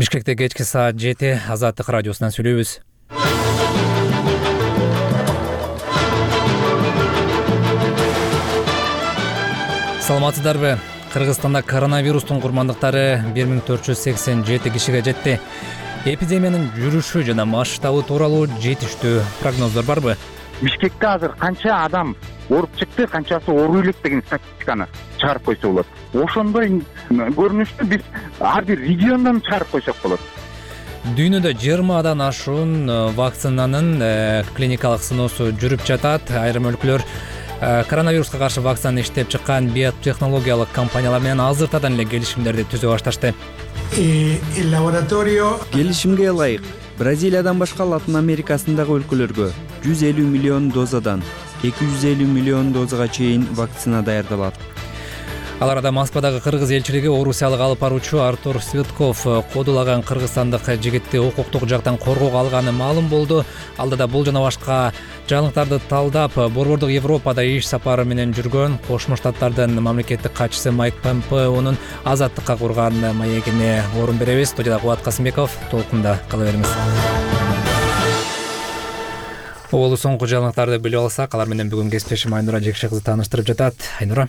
Бишкекте кечки саат 7 Азаттык радиосунан сүйлөйбүз. Саламатсыздарбы? Кыргызстанда коронавирустун курмандыктары 1487 кишиге жетти. Эпидемиянын жүрүшү жана масштабы тууралуу жетиштүү прогноздор барбы? Бишкекте азыр канча адам ооруп чыкты, канчасы ооруй элек деген статистиканы чыгарып койсо болот. Ошондой көрүнүштү биз ар бир региондон чыгарып койсок болот. Дүйнөдө 20 ашуун вакцинанын клиникалык сыноосу жүрүп жатат. Айрым өлкөлөр коронавируска каршы вакцинаны иштеп чыккан биотехнологиялык компаниялар менен азыртадан эле келишимдерди түзө башташты. Келишимге ылайык Бразилиядан башка Латын Америкасындагы өлкөлөргө 150 миллион дозадан 250 миллион дозага чейин вакцина даярдалат. Ал арада Москвадагы кыргыз элчилиги орусиялык алып баруучу Артур Светков кодулаган кыргызстандык жигитти укуктук жактан коргоого алганы маалым болду. Алдыда бул жана башка жаңылыктарды талдап, борбордук Европада иш сапары менен жүргөн Кошмо Штаттардын мамлекеттик катчысы Майк Помпеонун азаттыкка курган маегине орун беребиз. Студияда Кубат Касымбеков, толкунда кала бериңиз. Оболу соңку жаңылыктарды билип алсак, алар менен бүгүн кесиптешим Айнура Жекше кызы тааныштырып жатат. Айнура.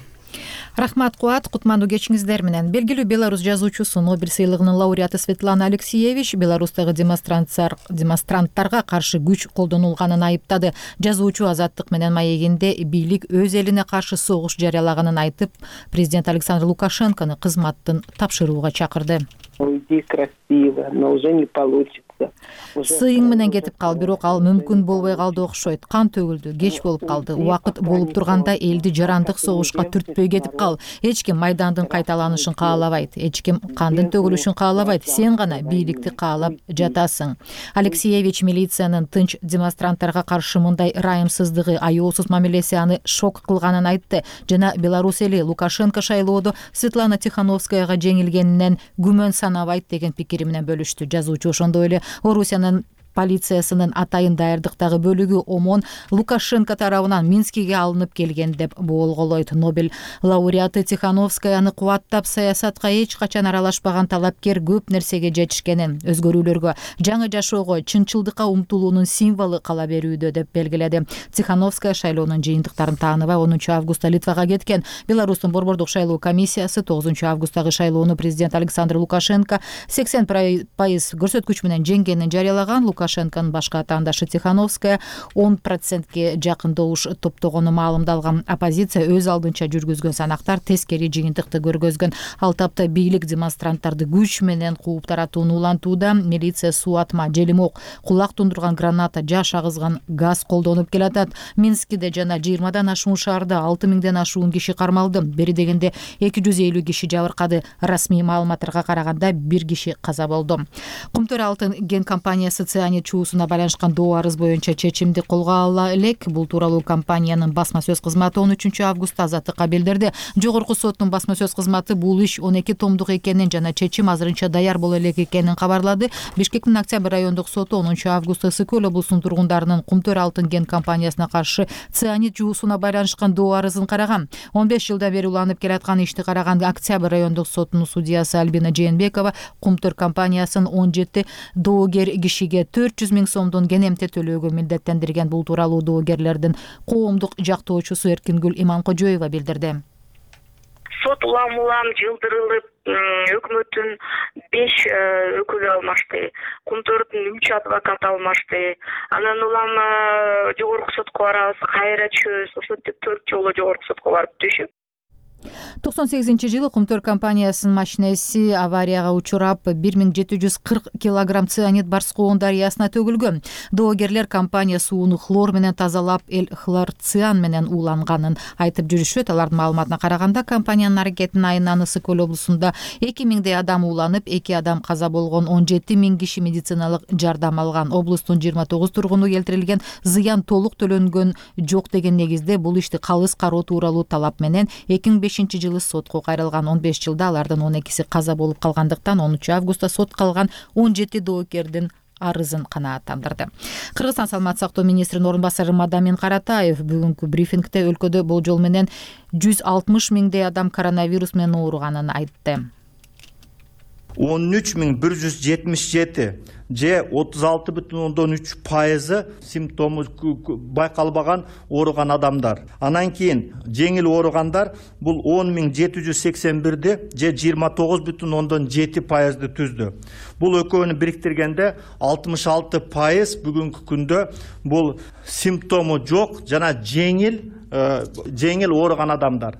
Рахмат, Кубат. Кутмандуу кечиңиздер менен. Белгилүү белорус жазуучусу, Нобель сыйлыгынын лауреаты Светлана Алексеевич Беларустагы демонстранттарга каршы күч колдонулганын айыптады. Жазуучу азаттык менен маегинде бийлик өз элине каршы согуш жарыялаганын айтып, президент Александр Лукашенкону кызматтын тапшырууга чакырды. Сыйың менен кетип кал, бирок ал мүмкүн болбой калды окшойт. Кан төгүлдү, кеч болуп калды. Убакыт болуп турганда элди жарандык согушка түртпөй кетип кал. Эч ким майдандын кайталанышын каалабайт, эч ким кандын төгүлүшүн каалабайт. Сен гана бийликти каалап жатасың. Алексеевич милициянын тынч демонстранттарга каршы мындай ырайымсыздыгы, аяосуз мамилеси аны шок кылганын айтты. Жана Беларусь эли Лукашенко шайлоодо Светлана Тихановскаяга жеңилгенинен күмөн санабайт деген пикири менен бөлүштү. Жазуучу ошондой эле Орусиянын полициясынын атайын даярдыктагы бөлүгү ОМОН Лукашенко тарабынан Минскиге алынып келген деп болгоолойт. Нобель лауреаты Тихановскаяны кубаттап, саясатка эч качан аралашпаган талапкер көп нерсеге жетишкенин, өзгөрүүлөргө, жаңы жашоого, чынчылдыкка умтулуунун символу кала берүүдө деп белгиледи. Тихановская шайлоонун жыйынтыктарын тааныбай 10 августта Литвага кеткен. Беларустун борбордук шайлоо комиссиясы 9 августтагы шайлоону президент Александр Лукашенко 80% көрсөткүч менен жеңгенин жарыялаган. Лукашенконун башка атаандашы Тихановская 10%ге жакын добуш топтогону маалымдалган. Оппозиция өз алдынча жүргүзгөн санактар тескери жыйынтыкты көргөзгөн. Ал тапта бийлик демонстранттарды күч менен кууп таратууну улантууда. Милиция суу атма, желимок, кулак тундурган граната, жаш агызган газ колдонуп келатат. Минскиде жана 20 ашуун шаарда 6000 ашуун киши кармалды. Бери дегенде 250 киши жабыркады. Расмий маалыматтарга караганда 1 киши каза болду. Кумтөр алтын ген компаниясы цианид чуусуна байланышкан доо арыз боюнча чечимди колго ала элек. Бул тууралуу компаниянын басма сөз кызматы 13 августта азаттыкка билдирди. Жогорку соттун басма сөз кызматы бул иш 12 томдук экенин жана чечим азырынча даяр боло элек экенин кабарлады. Бишкектин Октябрь райондук соту 10 августта Ысык көл облусунун тургундарынын Кумтөр алтын ген компаниясына каршы цианид чуусуна байланышкан доо арызын караган. 15 жылдан бери уланып келаткан ишти караган Октябрь райондук сотунун судьясы Альбина Жээнбекова Кумтөр компаниясын 17 доогер кишиге 400 000 сомдон кенемте төлөөгө милдеттендирген. Бул тууралуу доогерлердин коомдук жактоочусу Эркингүл Иманкожоева билдирди. Сот улам жылдырылып, өкмөттүн 5 өкүлү алмашты, Кумтөрдүн 3 адвокат алмашты. Анан улам жогорку сотко барабыз, кайра түшөбүз. Ошентип 4 жолу жогорку сотко барып түшүп. 98-жылы Кумтөр компаниясынын машинеси аварияга учурап 1740 килограмм цианид Барскоон дарыясына төгүлгөн. Доогерлер компания сууну хлор менен тазалап, хлорциан менен ууланганын айтып жүрүшөт. Алардын маалыматына караганда, компаниянын аракетинин айынан Ысык көл облусунда 2000 адам ууланып, 2 адам каза болгон, 17 000 киши медициналык жардам алган. Облустун 29 тургуну келтирилген зыян толук төлөнгөн жок деген негизде бул ишти калыс кароо тууралуу талап менен 2005-жылы сотко кайрылган. 15 жылда алардын 12си каза болуп калгандыктан 10 августта сот калган 17 доокердин арызын канааттандырды. Кыргызстан саламаттык сактоо министринин орун басары Мадамин Каратаев бүгүнкү брифингде өлкөдө болжол менен 160 000 адам коронавирус менен ооруганын айтты. 13.177 же 36,3% симптому байкалбаган ооруган адамдар. Анан кийин жеңил ооругандар бул 10.781 же 29,7%ды түздү. Бул экөөнү бириктиргенде 66% бүгүнкү күндө бул симптому жок жана жеңил ооруган адамдар.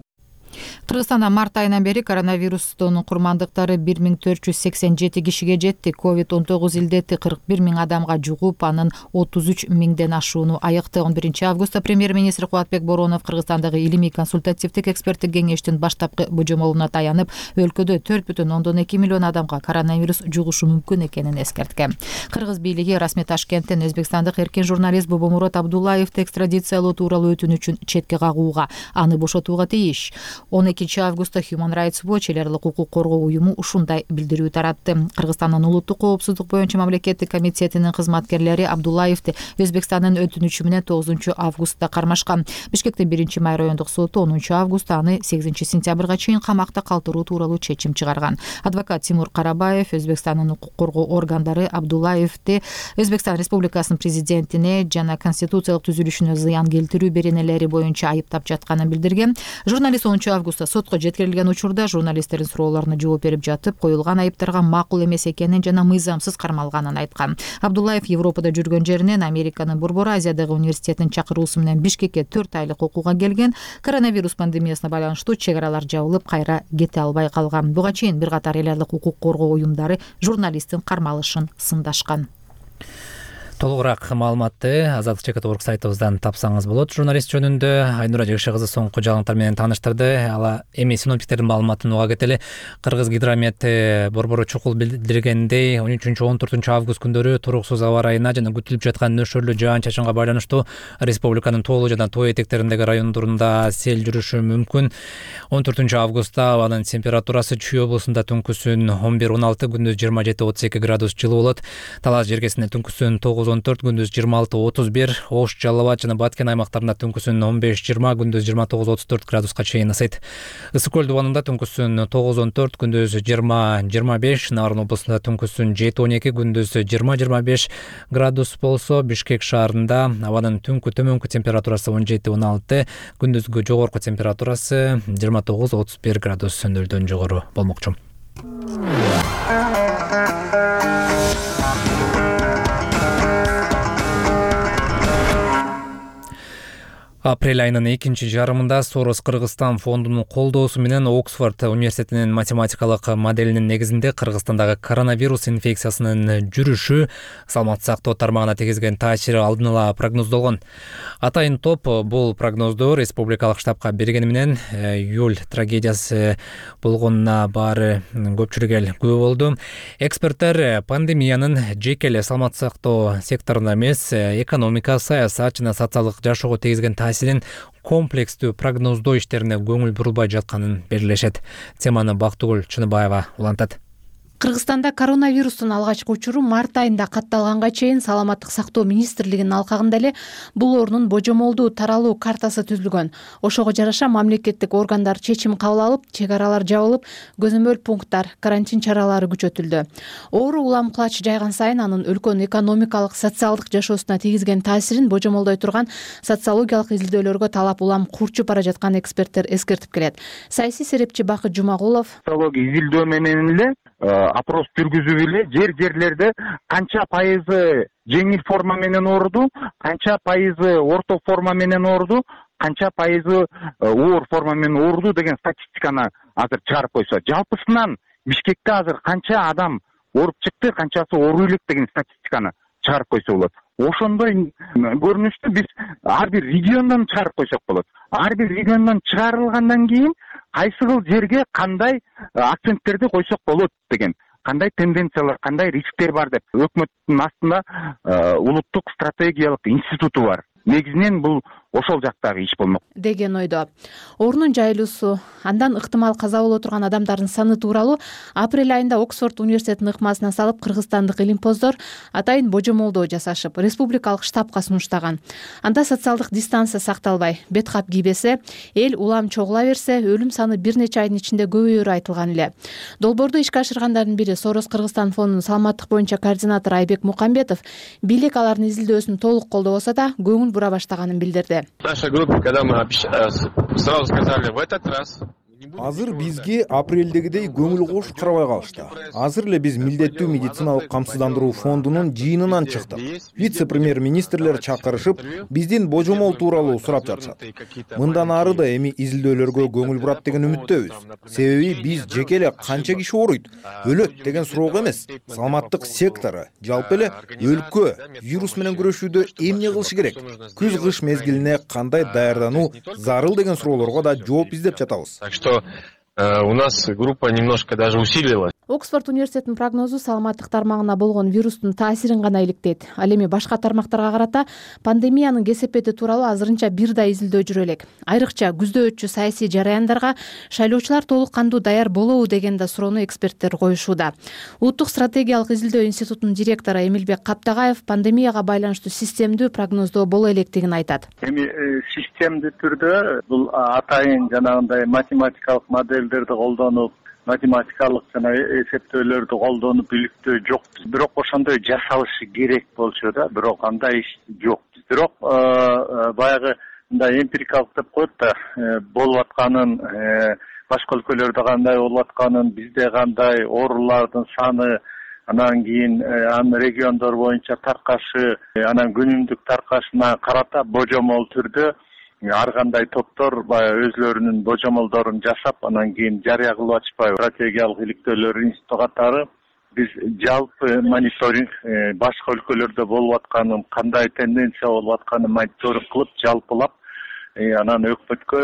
Кыргызстанда март айынан бери коронавирустун курмандыктары 1487 кишиге жетти. COVID-19 илдети 41 000 адамга жугуп, анын 33 000ден ашууну аыкты. 11 августта премьер-министр Кубатбек Боронов Кыргызстандагы илимий консультативдик эксперттик кеңештин баштапкы божомолуна таянып, өлкөдө 4,2 миллион адамга коронавирус жугушу мүмкүн экенин эскерткен. Кыргыз бийлиги расмий Ташкенттен өзбекстандык эркин журналист Бобомурод Абдуллаевди экстрадициялоо тууралуу өтүнүчүн четке кагууга, аны бошотууга тийиш. 12 августта Human Rights Watch эл аралык укук коргоо уюму ушундай билдирүү таратты. Кыргызстандын улуттук коопсуздук боюнча мамлекеттик комитетинин кызматкерлери Абдуллаевди Өзбекстандын өтүнүчү менен 9 августта кармашкан. Бишкектин 1-май райондук соту 10 августта аны 8 сентябрга чейин камакта калтыруу тууралуу чечим чыгарган. Адвокат Тимур Карабаев Өзбекстандын укук коргоо органдары Абдуллаевди Өзбекстан Республикасынын президентине жана конституциялык түзүлүшүнө зыян келтирүү беренелери боюнча айыптап жатканын билдирген. Журналист 10 августта сотко жеткирилген учурда журналисттердин суроолоруна жооп берип жатып, коюлган айыптарга макул эмес экенин жана мыйзамсыз кармалганын айткан. Абдуллаев Европада жүргөн жеринен Американын Борбор Азиядагы университетинин чакыруусу менен Бишкекке 4 айлык окууга келген. Коронавирус пандемиясына байланыштуу чек аралар жабылып, кайра кете албай калган. Буга чейин бир катар эл аралык укук коргоо уюмдары журналисттин кармалышын сындашкан. Толугураак маалыматты Азаттык ЖКТ сайтыбыздан тапсаңыз болот. Журналист жөнүндө Айнура Жекше кызы соңку жаңылыктар менен тааныштырды. Ала эми синоптиктердин маалыматын уга кетели. Кыргыз гидромет борбору чукул билдиргендей, 13-14 август күндөрү туруксуз аба ырайына жана күтүлүп жаткан нөшөрлүү жаан-чачынга байланыштуу республиканын тоолуу жана тоо этектериндеги райондорунда сел жүрүшү мүмкүн. 14 августта абанын температурасы Чүй облусунда түнкүсүн 11-16, күндүз 27-32 градус жылуу болот. Талас жергесинде түнкүсүн 9-14, күндүз 26-31, Ош, Жалал Абад жана Баткен аймактарында түнкүсүн 15-20, күндүз 29-34 градуска чейин ысыйт. Ысык көл дубанында түнкүсүн 9-14, күндүз 20-25, Нарын облусунда түнкүсүн 7-12, күндүз 20-25 градус болсо, Бишкек шаарында абанын түнкү төмөнкү температурасы 17-16, күндүзгү жогорку температурасы 29-31 градус нөлдөн жогору болмокчу. Апрель айынын экинчи жарымында Сорос Кыргызстан фондунун колдоосу менен Оксфорд университетинин математикалык моделинин негизинде Кыргызстандагы коронавирус инфекциясынын жүрүшү, саламаттык сактоо тармагына тийгизген таасири алдын ала прогноздолгон. Атайын топ бул прогнозду республикалык штабка бергени менен июль трагедиясы болгонуна баары көпчүлүк эл күбө болду. Эксперттер пандемиянын жеке эле саламаттык сактоо секторуна эмес, экономика, саясат жана социалдык жашоого тийгизген таасирин комплекстүү прогноздоо иштерине көңүл бурулбай жатканын белгилешет. Теманы Бактыгүл Чыныбаева улантат. Кыргызстанда коронавирустун алгачкы учуру март айында катталганга чейин Саламаттык сактоо министрлигинин алкагында эле бул оорунун божомолдуу таралуу картасы түзүлгөн. Ошого жараша мамлекеттик органдар чечим кабыл алып, чек аралар жабылып, көзөмөл пункттар, карантин чаралары күчөтүлдү. Оору улам кулач жайган сайын анын өлкөнүн экономикалык, социалдык жашоосуна тийгизген таасирин божомолдой турган социологиялык изилдөөлөргө талап улам курчуп бара жатканын эксперттер эскертип келет. Саясий серепчи Бакыт Жумагулов социология изилдөө менен эле опрос жүргүзүп эле жерлерде канча пайызы жеңил форма менен ооруду, канча пайызы орто форма менен ооруду, канча пайызы оор форма менен ооруду деген статистиканы азыр чыгарып койсо, жалпысынан Бишкекте азыр канча адам ооруп чыкты, канчасы оору элек деген статистиканы чыгарып койсо болот. Ошондой көрүнүштү биз ар бир региондон чыгарып койсок болот. Ар бир региондон чыгарылгандан кийин кайсы кыл жерге кандай акценттерди койсок болот деген, кандай тенденциялар, кандай рисктер бар деп өкмөттүн астында улуттук стратегиялык институту бар. Негизинен бул ошол жактагы иш болмок деген ойдо. Орунун жайылуусу, андан ыктымал каза боло турган адамдардын саны тууралуу апрель айында Оксфорд университетинин ыкмасына салып кыргызстандык илимпоздор атайын божомолдоо жасашып, республикалык штабка сунуштаган. Анда социалдык дистанция сакталбай, бет кап кийбесе, эл улам чогула берсе, өлүм саны бир нече айдын ичинде көбөйөрү айтылган эле. Долбоорду ишке ашыргандардын бири Сорос Кыргызстан фондунун саламаттык боюнча координатору Айбек Мукамбетов бийлик алардын изилдөөсүн толук колдобосо да көңүл бура баштаганын билдирди. Наша группа, когда мы сразу сказали в этот раз. Азыр бизге апрелдегидей көңүл кош карабай калышты. Азыр эле биз милдеттүү медициналык камсыздандыруу фондунун жыйынынан чыктык. Вице-премьер-министрлер чакырышып, биздин божомол тууралуу сурап жатышат. Мындан ары да эми изилдөөлөргө көңүл бурат деген үмүттөбүз. Себеби биз жеке эле канча киши ооруйт, өлөт деген суроого эмес, саламаттык сектору, жалпы эле өлкө вирус менен күрөшүүдө эмне кылыш керек, күз-кыш мезгилине кандай даярдануу зарыл деген суроолорго да жооп издеп жатабыз. У нас группа немножко даже усилилась. Оксфорд университетинин прогнозу саламаттык тармагына болгон вирустун таасирин гана иликтейт. Ал эми башка тармактарга карата пандемиянын кесепети тууралуу азырынча бир да изилдөө жүрө элек. Айрыкча күздө өтчү саясий жараяндарга шайлоочулар толук кандуу даяр болобу деген да суроону эксперттер коюшууда. Улуттук стратегиялык изилдөө институтунун директору Эмилбек Каптагаев пандемияга байланыштуу системдүү прогноздоо боло электигин айтат. Эми системдүү түрдө бул атайын жанагындай математикалык модельдерди колдонуп, математикалык жана эсептөөлөрдү колдонуп иликтөө жок. Бирок ошондой жасалышы керек болчу да, бирок андай иш жок. Бирок баягы мындай эмпирикалык деп коет да, болуп атканын, башка өлкөлөрдө кандай болуп атканын, бизде кандай, оорулардын саны, анан кийин анын региондор боюнча таркашы, анан күнүмдүк таркашына карата божомол түрдө ар кандай топтор баягы өзлөрүнүн божомолдорун жасап, анан кийин жарыя кылып атышпайбы. Стратегиялык иликтөөлөр институту катары биз жалпы мониторинг башка өлкөлөрдө болуп атканын, кандай тенденция болуп атканын мониторинг кылып, жалпылап, анан өкмөткө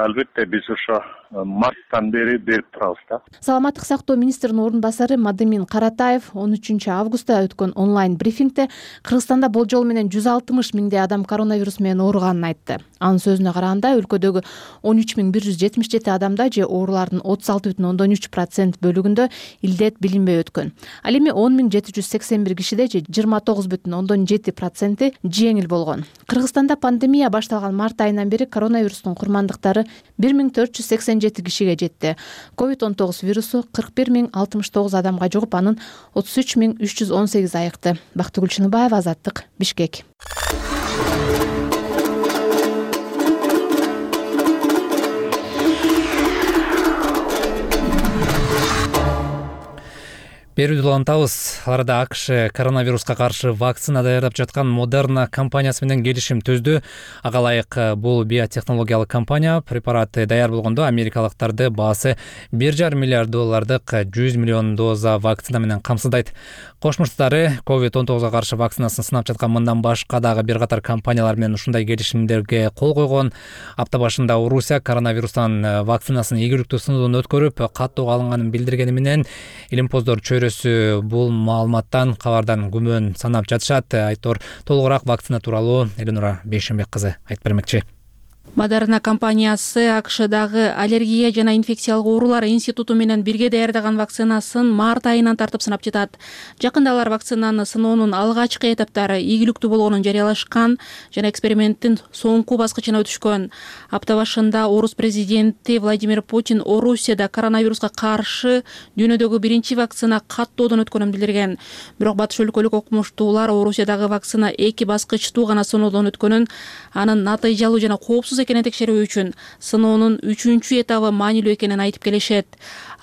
албетте биз ошо марттан бери берип турабыз да. Саламаттык сактоо министринин орун басары Мадымин Каратаев 13 августта өткөн онлайн брифингде Кыргызстанда болжол менен 160 миңдей адам коронавирус менен ооруганын айтты. Анын сөзүнө караганда өлкөдөгү 13.177 адамда же оорулардын 36,3% бөлүгүндө илдет билинбей өткөн. Ал эми 10.781 кишиде же 29,7% жеңил болгон. Кыргызстанда пандемия башталган март айынан бери коронавирустун курмандыктары 1487 кишиге жетти. COVID-19 вирусу 41.069 адамга жугуп, анын 33.318 айыкты. Бактыгүл Чыныбаева, Азаттык, Бишкек. Берүүдө улантабыз. Аларда АКШ коронавируска каршы вакцина даярдап жаткан Moderna компаниясы менен келишим түздү. Ага ылайык бул биотехнологиялык компания препарат даяр болгондо америкалыктарды баасы $1,5 миллиард 100 миллион доза вакцина менен камсыздайт. Кошмо Штаттары COVID-19 каршы вакцинасын сынап жаткан мындан башка дагы бир катар компаниялар менен ушундай келишимдерге кол койгон. Апта башында Орусия коронавирустан вакцинасын ийгиликтүү сыноодон өткөрүп, каттуу алынганын билдиргени менен илимпоздор чөйрөсү бул маалыматтан кабардан күмөн санап жатышат. Айтор толугураак вакцина тууралуу Эленора Бейшенбек кызы айтып бермекчи. Moderna компаниясы АКШдагы аллергия жана инфекциялык оорулар институту менен бирге даярдаган вакцинасын март айынан тартып сынап жатат. Жакында алар вакцинаны сыноонун алгачкы этаптары ийгиликтүү болгонун жарыялашкан жана эксперименттин соңку баскычына өтүшкөн. Апта башында Орус президенти Владимир Путин Орусияда коронавируска каршы дүйнөдөгү биринчи вакцина каттоодон өткөнүн билдирген. Бирок батыш өлкөлүк окумуштуулар Орусиядагы вакцина 2 баскычтуу гана сыноодон өткөнүн, анын натыйжалуу жана коопсуз экенин текшерүү үчүн сыноонун 3-чү этабы маанилүү экенин айтып келишет.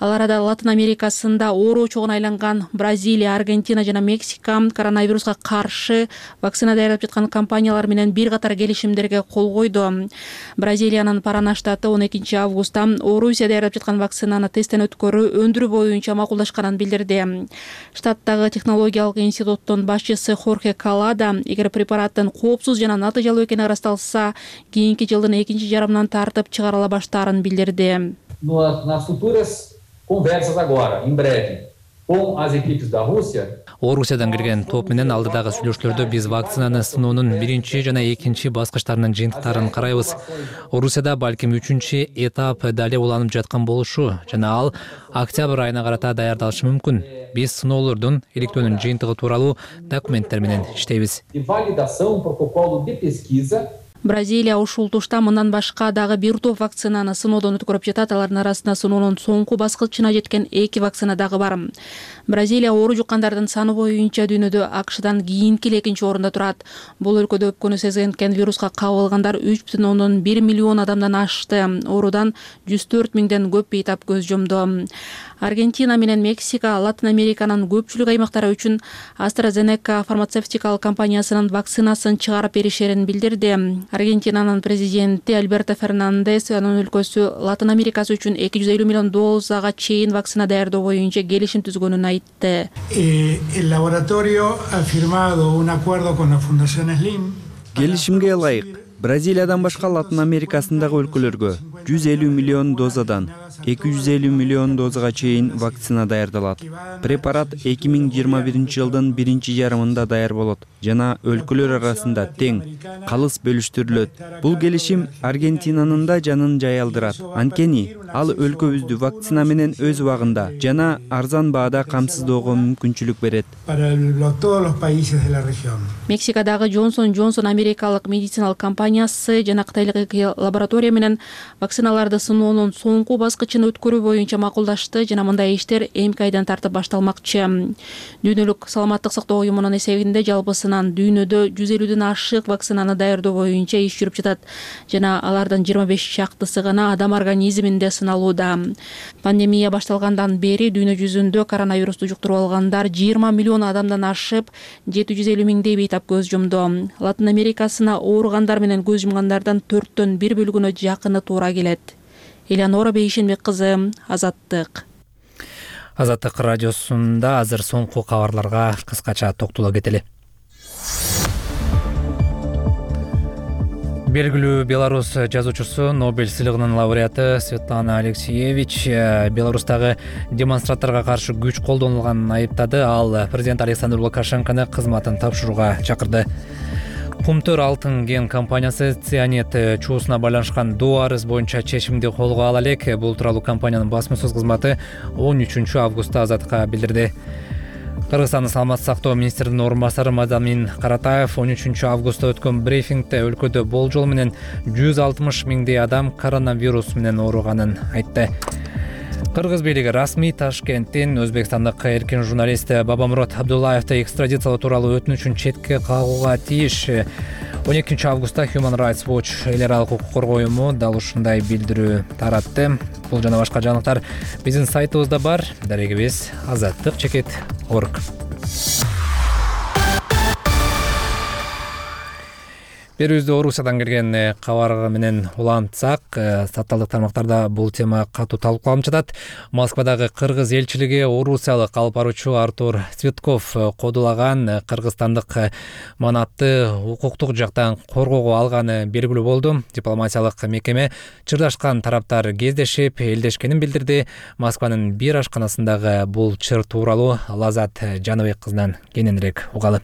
Ал арада Латын Америкасында оору чогуна айланган Бразилия, Аргентина жана Мексика коронавируска каршы вакцина даярдап жаткан компаниялар менен бир катар келишимдерге кол койду. Бразилиянын Парана штаты 12 августта Орусия даярдап жаткан вакцинаны тесттен өткөрүү өндүрүү боюнча макулдашканын билдирди. Штаттагы технологиялык институттун башчысы Хорхе Калада, эгер препараттын коопсуз жана натыйжалуу экени ырасталса, кийинки жылдын экинчи жарымынан тартып чыгарыла баштаарын билдирди. Nas futuras conversas agora, em breve, Орусиядан келген топ менен алдыдагы сүйлөшүүлөрдө биз вакцинаны сыноонун биринчи жана экинчи баскычтарынын жыйынтыктарын карайбыз. Орусияда балким 3-чү этап дале уланып жаткан болушу жана ал октябрь айына карата даярдалышы мүмкүн. Биз сыноолордун иликтөөнүн жыйынтыгы тууралуу документтер менен иштейбиз. Бразилия ушул тушта мындан башка дагы бир топ вакцинаны сыноодон өткөрүп жатат. Алардын арасында сыноонун соңку баскычына жеткен 2 вакцина дагы бар. Бразилия оору жуккандардын саны боюнча дүйнөдө АКШдан кийинки экинчи орунда турат. Бул өлкөдө өпкөнү сезген вируска кабылгандар 3,1 миллион адамдан ашты. Оорудан 104 миңден көп бейтап көз жумду. Аргентина менен Мексика Латын Американын көпчүлүк аймактары үчүн AstraZeneca фармацевтикалык компаниясынын вакцинасын чыгарып беришерин билдирди. Аргентинанын президенти Альберто Фернандес анын өлкөсү Латын Америкасы үчүн 250 миллион дозага чейин вакцина даярдоо боюнча келишим түзгөнүн айтты. El laboratorio ha firmado un acuerdo con la Fundación Slim. Келишимге ылайык Бразилиядан башка Латын Америкасындагы өлкөлөргө 150 миллион дозадан 250 миллион дозага чейин вакцина даярдалат. Препарат 2021-жылдын биринчи жарымында даяр болот жана өлкөлөр арасында тең калыс бөлүштүрүлөт. Бул келишим Аргентинанын да жанын жаялдырат. Анткени ал өлкөбүздү вакцина менен өз убагында жана арзан баада камсыздоого мүмкүнчүлүк берет. Мексикадагы Johnson & Johnson америкалык медициналык компаниясы жана кытайлык лаборатория менен вакциналарды сыноонун соңку баскычын өткөрүү боюнча макулдашты жана мындай иштер эмки айдан тартып башталмакчы. Дүйнөлүк саламаттык сактоо уюмунун эсебинде жалпысынан дүйнөдө 150ден ашык вакцинаны даярдоо боюнча иш жүрүп жатат жана алардын 25 чактысы гана адам организминде сыналууда. Пандемия башталгандан бери дүйнө жүзүндө коронавирусту жуктуруп алгандар 20 миллион адамдан ашып, 750 миңдей бейтап көз жумду. Латын Америкасына ооругандар менен көз жумгандардан 4төн 1 бөлүгүнө жакыны туура келет. Элеонора Бейшенбек кызы, Азаттык. Азаттык радиосунда азыр соңку кабарларга кыскача токтоло кетели. Белгилүү Беларус жазуучусу, Нобель сыйлыгынын лауреаты Светлана Алексеевич Беларустагы демонстранттарга каршы күч колдонулганын айыптады. Ал президент Александр Лукашенкону кызматын тапшырууга чакырды. Кумтөр алтын ген компаниясы цианид чуусуна байланышкан доо арыз боюнча чечимди колго ала элек. Бул тууралуу компаниянын басма сөз кызматы 13-августта Азаттыкка билдирди. Кыргызстандын саламаттык сактоо министринин орун басары Мадамин Каратаев 13-августта өткөн брифингде өлкөдө болжол менен 160 миңдей адам коронавирус менен ооруганын айтты. Кыргыз бийлиги расмий Ташкенттин Өзбекстандык эркин журналист Бабамурод Абдуллаевди экстрадициялоо тууралуу өтүнүчүн четке кагууга тийиш. 12-августта Human Rights Watch эл аралык укук коргоо уюму дал ушундай билдирүү таратты. Бул жана башка жаңылыктар биздин сайтыбызда бар. Дарегибиз azattik.org. Берүүбүздө Орусиядан келген кабар менен улантсак, сатталдык тармактарда бул тема катуу талкууланып жатат. Москвадагы кыргыз элчилиги орусиялык алып баруучу Артур Цветков кодулаган кыргызстандык манатты укуктук жактан коргоого алганы белгилүү болду. Дипломатиялык мекеме чырдашкан тараптар кездешип, элдешкенин билдирди. Москванын бир ашканасындагы бул чыр тууралуу Лазат Жаныбек кызынан кененирээк угалы.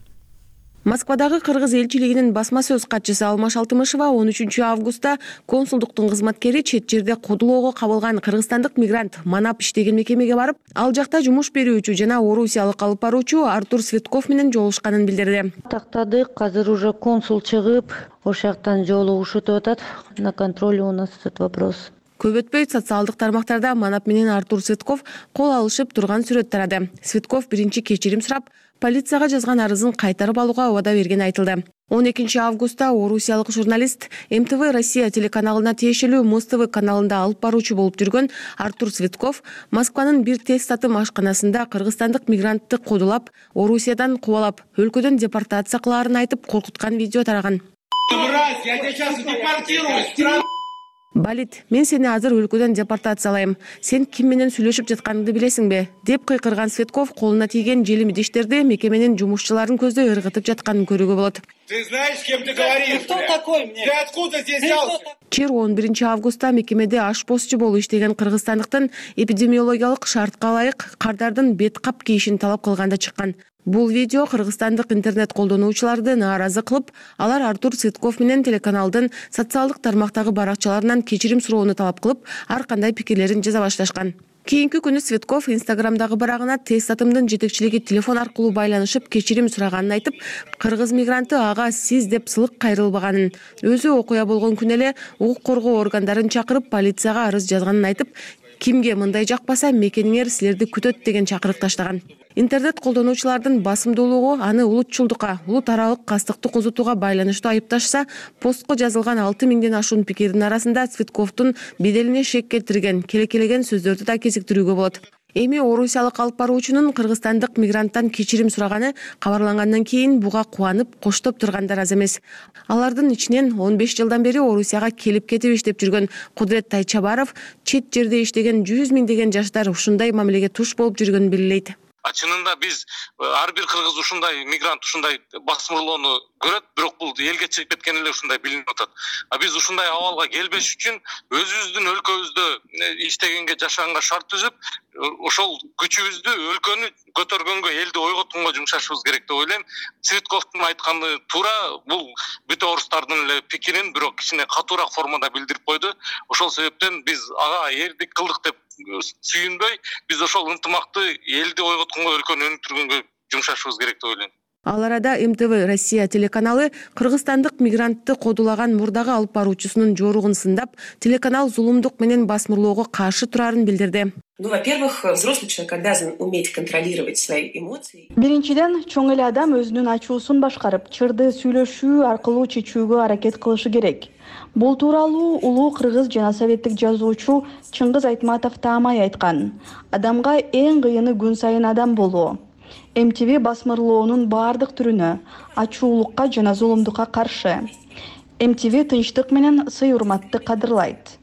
Москвадагы кыргыз элчилигинин басма сөз катчысы Алмаш Алтымышева 13-августта консулдуктун кызматкери чет жерде кодулоого кабылган кыргызстандык мигрант манап иштеген мекемеге барып, ал жакта жумуш берүүчү жана орусиялык алып баруучу Артур Цветков менен жолугушканын билдирди. Тактадык, азыр уже консул чыгып, ошол жактан жолугушуп атат. На контроле у нас этот вопрос. Көп өтпөй социалдык тармактарда манап менен Артур Цветков кол алышып турган сүрөт тарады. Цветков биринчи кечирим сурап, полицияга жазган арызын кайтарып алууга убада бергени айтылды. 12-августта орусиялык журналист МТВ Россия телеканалына тиешелүү Муз-ТВ каналында алып баруучу болуп жүргөн Артур Цветков Москванын бир тест татым ашканасында кыргызстандык мигрантты кодулап, Орусиядан кубалап, өлкөдөн депортация кылаарын айтып коркуткан видео тараган. Балит, мен сени азыр өлкөдөн депортациялайм. Сен ким менен сүйлөшүп жатканыңды билесиңби? Деп кыйкырган Цветков колуна тийген желим идиштерди мекеменин жумушчуларын көздөй ыргытып жатканын көрүүгө болот. Ты знаешь, с кем ты говоришь? Кто такой мне? Ты откуда здесь взялся? Чир 11 августта мекемеде ашпозчу болуп иштеген кыргызстандыктын эпидемиологиялык шартка ылайык кардардын бет кап кийишин талап кылганда чыккан. Бул видео кыргызстандык интернет колдонуучуларды нааразы кылып, алар Артур Цветков менен телеканалдын социалдык тармактагы баракчаларынан кечирим суроону талап кылып, ар кандай пикирлерин жаза башташкан. Кийинки күнү Цветков Инстаграмдагы барагына тест атымдын жетекчилиги телефон аркылуу байланышып кечирим сураганын айтып, кыргыз мигранты ага сиз деп сылык кайрылбаганын, өзү окуя болгон күнү эле укук коргоо органдарын чакырып полицияга арыз жазганын айтып, кимге мындай жакпаса мекениңер силерди күтөт деген чакырык таштаган. Интернет колдонуучулардын басымдуулугу аны улутчулдукка, улут аралык кастыкты козутууга байланыштуу айыпташса, постко жазылган 6000ден ашуун пикирдин арасында Цветковдун беделине шек келтирген, келекелеген сөздөрдү да кезиктирүүгө болот. Эми орусиялык алып баруучунун кыргызстандык мигранттан кечирим сураганы кабарлангандан кийин буга кубанып, коштоп тургандар аз эмес. Алардын ичинен 15 жылдан бери Орусияга келип кетип иштеп жүргөн Кудрет Тайчабаров, чет жерде иштеген 100 миңдеген жаштар ушундай мамилеге туш болуп жүргөнүн белгилейт. Чынында биз ар бир кыргыз ушундай мигрант ушундай басмырлоону көрөт, бирок бул элге чыгып кеткен эле ушундай билинип атат. Биз ушундай абалга келбеш үчүн өзүбүздүн өлкөбүздө иштегенге, жашаганга шарт түзүп, ошол күчүбүздү өлкөнү көтөргөнгө, элди ойготконго жумшашыбыз керек деп ойлойм. Цветковдун айтканы туура, бул бүт орустардын эле пикирин бирок кичине катуураак формада билдирип койду. Ошол себептен биз ага эрдик кылдык деп сүйүнбөй, биз ошол ынтымакты элди ойготконго, өлкөнү өнүктүргөнгө жумшашыбыз керек деп ойлойм. Ал арада МТВ Россия телеканалы кыргызстандык мигрантты кодулаган мурдагы алып баруучусунун жоругун сындап, телеканал зулумдук менен басмырлоого каршы турарын билдирди. Во-первых, взрослый человек обязан уметь контролировать свои эмоции. Биринчиден, чоң эле адам өзүнүн ачуусун башкарып, чырды сүйлөшүү аркылуу чечүүгө аракет кылышы керек. Бул тууралуу улуу кыргыз жана советтик жазуучу Чыңгыз Айтматов таамай айткан. Адамга эң кыйыны күн сайын адам болуу. МТВ басмырлоонун баардык түрүнө, ачуулукка жана зулумдукка каршы. МТВ тынчтык менен сый-урматты кадырлайт.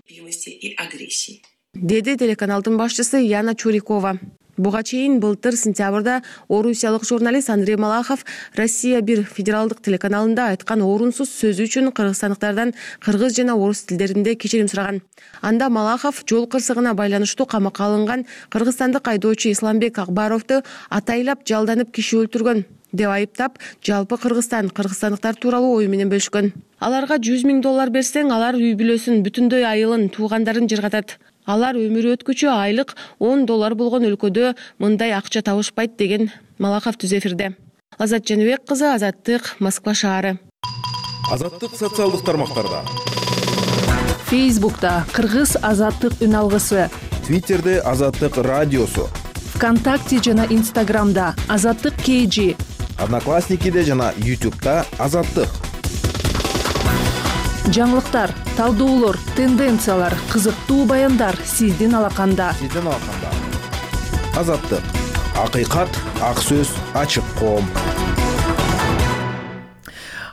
Деди телеканалдын башчысы Яна Чурикова. Буга чейин былтыр сентябрда орусиялык журналист Андрей Малахов Россия 1 федералдык телеканалында айткан орунсуз сөзү үчүн кыргызстандыктардан кыргыз жана орус тилдеринде кечирим сураган. Анда Малахов жол кырсыгына байланыштуу камакка алынган кыргызстандык айдоочу Исламбек Акбаровду атайлап жалданып киши өлтүргөн деп айыптап, жалпы кыргызстандыктар тууралуу ою менен бөлүшкөн. Аларга $100 000 берсең, алар үй бүлөсүн, бүтүндөй айылын, туугандарын жыргатат. Алар өмүр өткүчү айлык $10 болгон өлкөдө мындай акча табышпайт деген Малахов түз эфирде. Азат Жаныбек кызы, Азаттык, Москва шаары. Азаттык социалдык тармактарда. Фейсбукта Кыргыз Азаттык үн алгысы. Твиттерде Азаттык радиосу. ВКонтакте жана Инстаграмда Азаттык KG. Одноклассникиде жана YouTube'да Азаттык. Жаңылыктар, талдоолор, тенденциялар, кызыктуу баяндар сиздин алаканда. Азаттык. Акыйкат, ак сөз, ачык коом.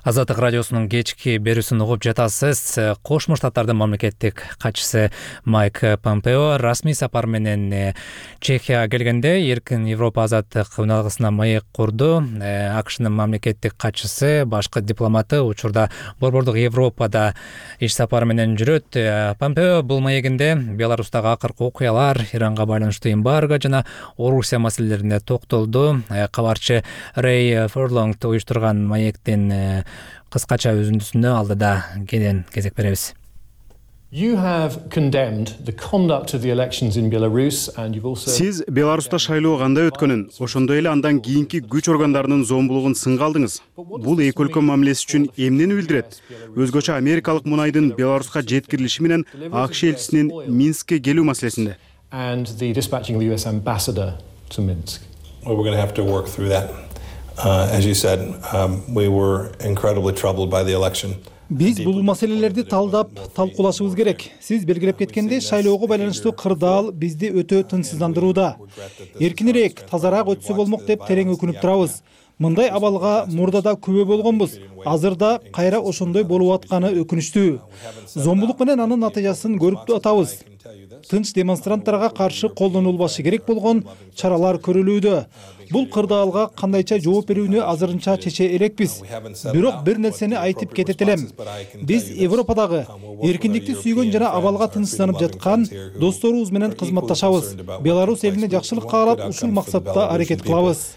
Азаттык радиосунун кечки берүүсүн угуп жатасыз. Кошмо Штаттардын мамлекеттик катчысы Майк Помпео расмий сапар менен Чехияга келгенде эркин Европа азаттык үн алгысына маек курду. АКШнын мамлекеттик катчысы, башкы дипломаты учурда Борбордук Европада иш сапары менен жүрөт. Помпео бул маегинде Беларустагы акыркы окуялар, Иранга байланыштуу эмбарго жана Орусия маселелерине токтолду. Кабарчы Рэй Ферлонг уюштурган маектин кыскача үзүндүсүнө алдыда кенен кезек беребиз. Сиз Беларуста шайлоо кандай өткөнүн, ошондой эле андан кийинки күч органдарынын зомбулугун сынга алдыңыз. Бул эки өлкө мамилеси үчүн эмнени билдирет? Өзгөчө америкалык мунайдын Беларуска жеткирилиши менен АКШ элчисинин Минскке келүү маселесинде. As you said, we were incredibly troubled by the election. Биз бул маселелерди талдап, талкуулашыбыз керек. Сиз белгилеп кеткендей, шайлоого байланыштуу кырдаал бизди өтө тынчсыздандырууда. Эркинирээк, тазараак өтсө болмок деп терең өкүнүп турабыз. мындай абалга мурда да күбө болгонбуз. Азыр да кайра ошондой болуп атканы өкүнүчтүү. Зомбулук менен анын натыйжасын көрүп атабыз. Тынч демонстранттарга каршы колдонулбашы керек болгон чаралар көрүлүүдө. Бул кырдаалга кандайча жооп берүүнү азырынча чече элекпиз. Бирок бир нерсени айтып кетет элем. Биз Европадагы эркиндикти сүйгөн жана абалга тынчсызданып жаткан досторубуз менен кызматташабыз. Беларусь элине жакшылык каалап, ушул максатта аракет кылабыз.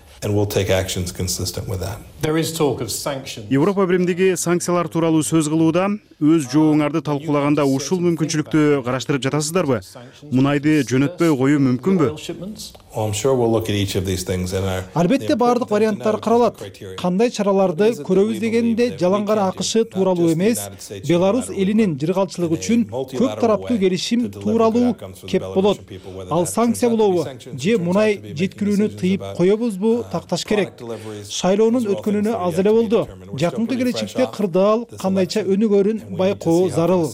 Европа биримдиги санкциялар тууралуу сөз кылууда, өз жообуңарды талкуулаганда ушул мүмкүнчүлүктү караштырып жатасыздарбы? Мунайды жөнөтпөй коюу мүмкүнбү? Албетте баардык варианттар каралат. Кандай чараларды көрөбүз дегенде жалаң гана АКШ тууралуу эмес, Беларусь элинин жыргалчылыгы үчүн көп тараптуу келишим тууралуу кеп болот. Ал санкция болобу же мунай жеткирүүнү тыйып коебузбу такташ керек. Шайлоонун өткөнүнө аз эле болду. Жакынкы келечекте кырдаал кандайча өнүгөрүн байкоо зарыл.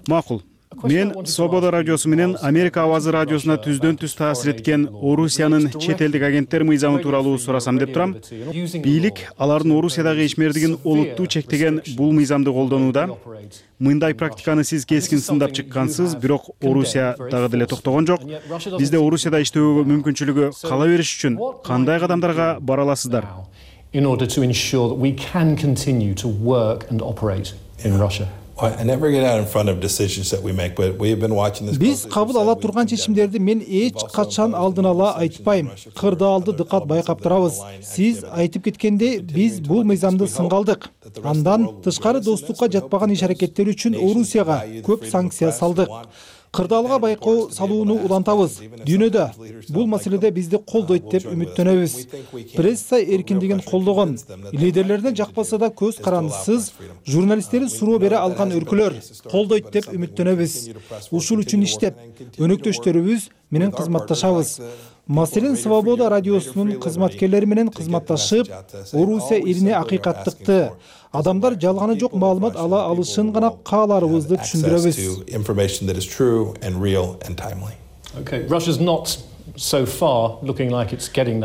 Макул. Мен Свобода радиосу менен Америка Авазы радиосуна түздөн түз таасир эткен Орусиянын чет элдик агенттер мыйзамы тууралуу сурасам деп турам. Бийлик алардын Орусиядагы ишмердигин олуттуу чектеген бул мыйзамды колдонууда. Мындай практиканы сиз кескин сындап чыккансыз, бирок Орусия дагы деле токтогон жок. Бизде Орусияда иштөөгө мүмкүнчүлүгү кала бериш үчүн кандай кадамдарга бара аласыздар? Биз кабыл ала турган чечимдерди мен эч качан алдын ала айтпайм. Кырдаалды дыкат байкап турабыз. Сиз айтып кеткендей, биз бул мыйзамды сынга алдык. Андан тышкары достукка жатпаган иш-аракеттер үчүн Орусияга көп санкция салдык. Кырдаалга байкоо салууну улантабыз. Дүйнөдө бул маселеде бизди колдойт деп үмүттөнөбүз. Пресса эркиндигин колдогон, лидерлерине жакпаса да көз карандысыз журналисттери суроо бере алган өлкөлөр колдойт деп үмүттөнөбүз. Ушул үчүн иштеп, өнөктөштөрүбүз менен кызматташабыз. Маселен, Свобода радиосунун кызматкерлери менен кызматташып, Орусия элине акыйкаттыкты, адамдар жалганы жок маалымат ала алышын гана кааларыбызды түшүндүрөбүз.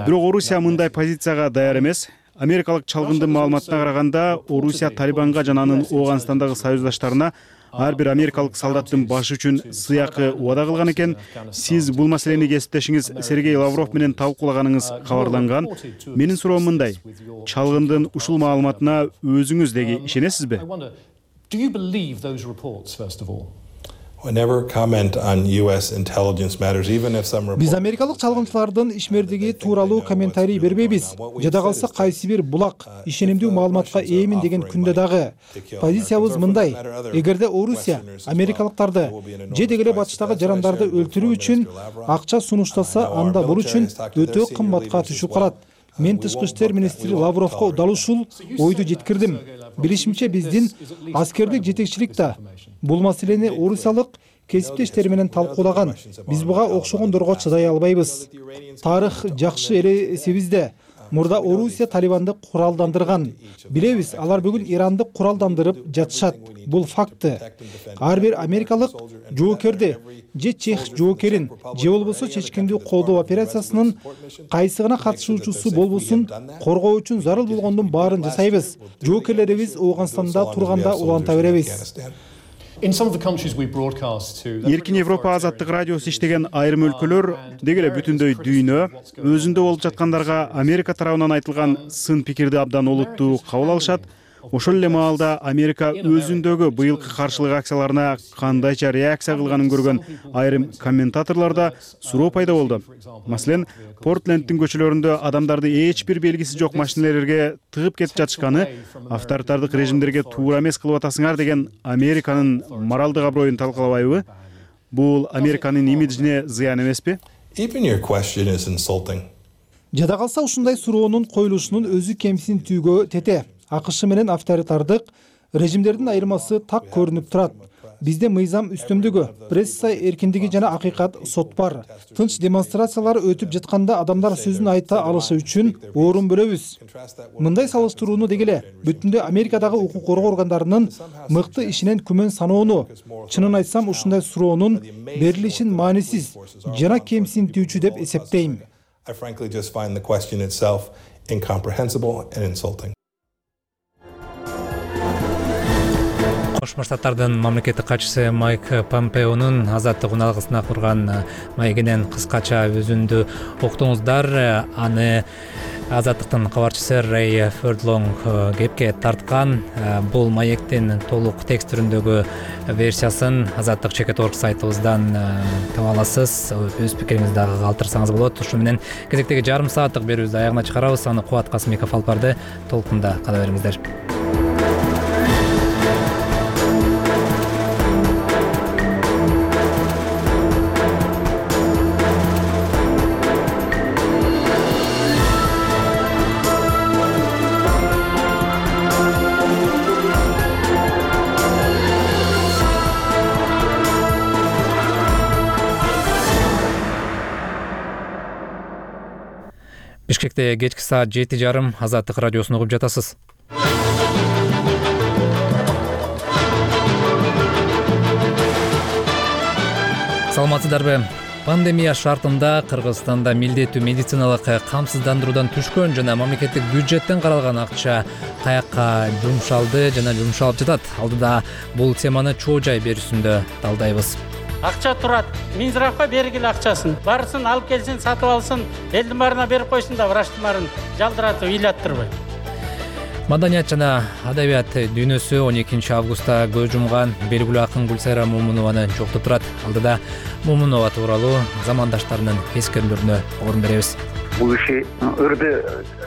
Бирок Орусия мындай позицияга даяр эмес. Америкалык чалгындын маалыматына караганда, Орусия Талибанга жана анын Ооганстандагы союздаштарына ар бир америкалык солдаттын башы үчүн сыйакы убада кылган экен. Сиз бул маселени кесиптешиңиз Сергей Лавров менен талкуулаганыңыз кабарланган. Менин суроом мындай: чалгындын ушул маалыматына өзүңүз деги ишенесизби? Биз америкалык чалгынчылардын ишмердиги тууралуу комментарий бербейбиз. Жада калса кайсы бир булак ишенимдүү маалыматка ээмин деген күндө дагы позициябыз мындай: эгерде Орусия америкалыктарды же деги эле батыштагы жарандарды өлтүрүү үчүн акча сунуштаса, анда бул үчүн өтө кымбатка түшүп калат. Мен тышкы иштер министри Лавровго дал ушул ойду жеткирдим. Билишимче, биздин аскердик жетекчилик да бул маселени орусиялык кесиптештери менен талкуулаган. Биз буга окшогондорго чыдай албайбыз. Тарых жакшы эле эсебизде. Мурда Орусия Талибанды куралдандырган. Билебиз, алар бүгүн Иранды куралдандырып жатышат. Бул факты. Ар бир америкалык жоокерди же чех жоокерин же болбосо чечкиндүү колдоо операциясынын кайсы гана катышуучусу болбосун коргоо үчүн зарыл болгондун баарын жасайбыз. Жоокерлерибиз Ооганстанда турганда уланта беребиз. Эркин Европа азаттык радиосу иштеген айрым өлкөлөр, деги эле бүтүндөй дүйнө, өзүндө болуп жаткандарга Америка тарабынан айтылган сын пикирди абдан олуттуу кабыл алышат. Ошол эле маалда Америка өзүндөгү быйылкы каршылык акцияларына кандайча реакция кылганын көргөн айрым комментаторлордо суроо пайда болду. Маселен, Портлендтин көчөлөрүндө адамдарды эч бир белгиси жок машинелерге тыгып кетип жатышканы авторитардык режимдерге туура эмес кылып атасыңар деген Американын моралдык аброюн талкалабайбы? Бул Американын имиджине зыян эмеспи? Жада калса ушундай суроонун коюлушунун өзү кемсинтүүгө тете. АКШ менен авторитардык режимдердин айырмасы так көрүнүп турат. Бизде мыйзам үстөмдүгү, пресса эркиндиги жана акыйкат сот бар. Тынч демонстрациялар өтүп жатканда адамдар сөзүн айта алышы үчүн орун бөлөбүз. Мындай салыштырууну деги эле бүтүндө Америкадагы укук коргоо органдарынын мыкты ишинен күмөн саноону, чынын айтсам ушундай суроонун берилишин маанисиз жана кемсинтүүчү деп эсептейм. I frankly just find the question itself incomprehensible and insulting. Кошмо Штаттардын мамлекеттик катчысы Майк Помпеонун азаттык уналгысына курган маегинен кыскача үзүндү уктуңуздар. Аны азаттыктын кабарчысы Рэй Фердлонг кепке тарткан. Бул маектин толук текст түрүндөгү версиясын азаттык чекет.org сайтыбыздан таба аласыз. Өз пикириңизди дагы калтырсаңыз болот. Ушу менен кезектеги жарым сааттык берүүбүздү аягына чыгарабыз. Аны Кубат Касымбеков алып барды. Толкунда кала бериңиздер. Бишкекте кечки саат 7:30 Азаттык радиосун угуп жатасыз. Саламатсыздарбы? Пандемия шартында Кыргызстанда милдеттүү медициналык камсыздандыруудан түшкөн жана мамлекеттик бюджеттен каралган акча каякка жумшалды жана жумшалып жатат. Алдыда бул теманы чоо жай берүүсүндө талдайбыз. Акча турат. Минздравга бергиле акчасын. Барсын, алып келсин, сатып алсын, элдин баарына берип койсун да врачтын баарын жалдыратып ыйлаттырбай. Маданият жана адабият дүйнөсү 12 августта көз жумган белгилүү акын Гүлсайра Момунованы жоктоп турат. Алдыда Момунова тууралуу замандаштарынын эскерүүлөрүнө орун беребиз. Бул иши ырды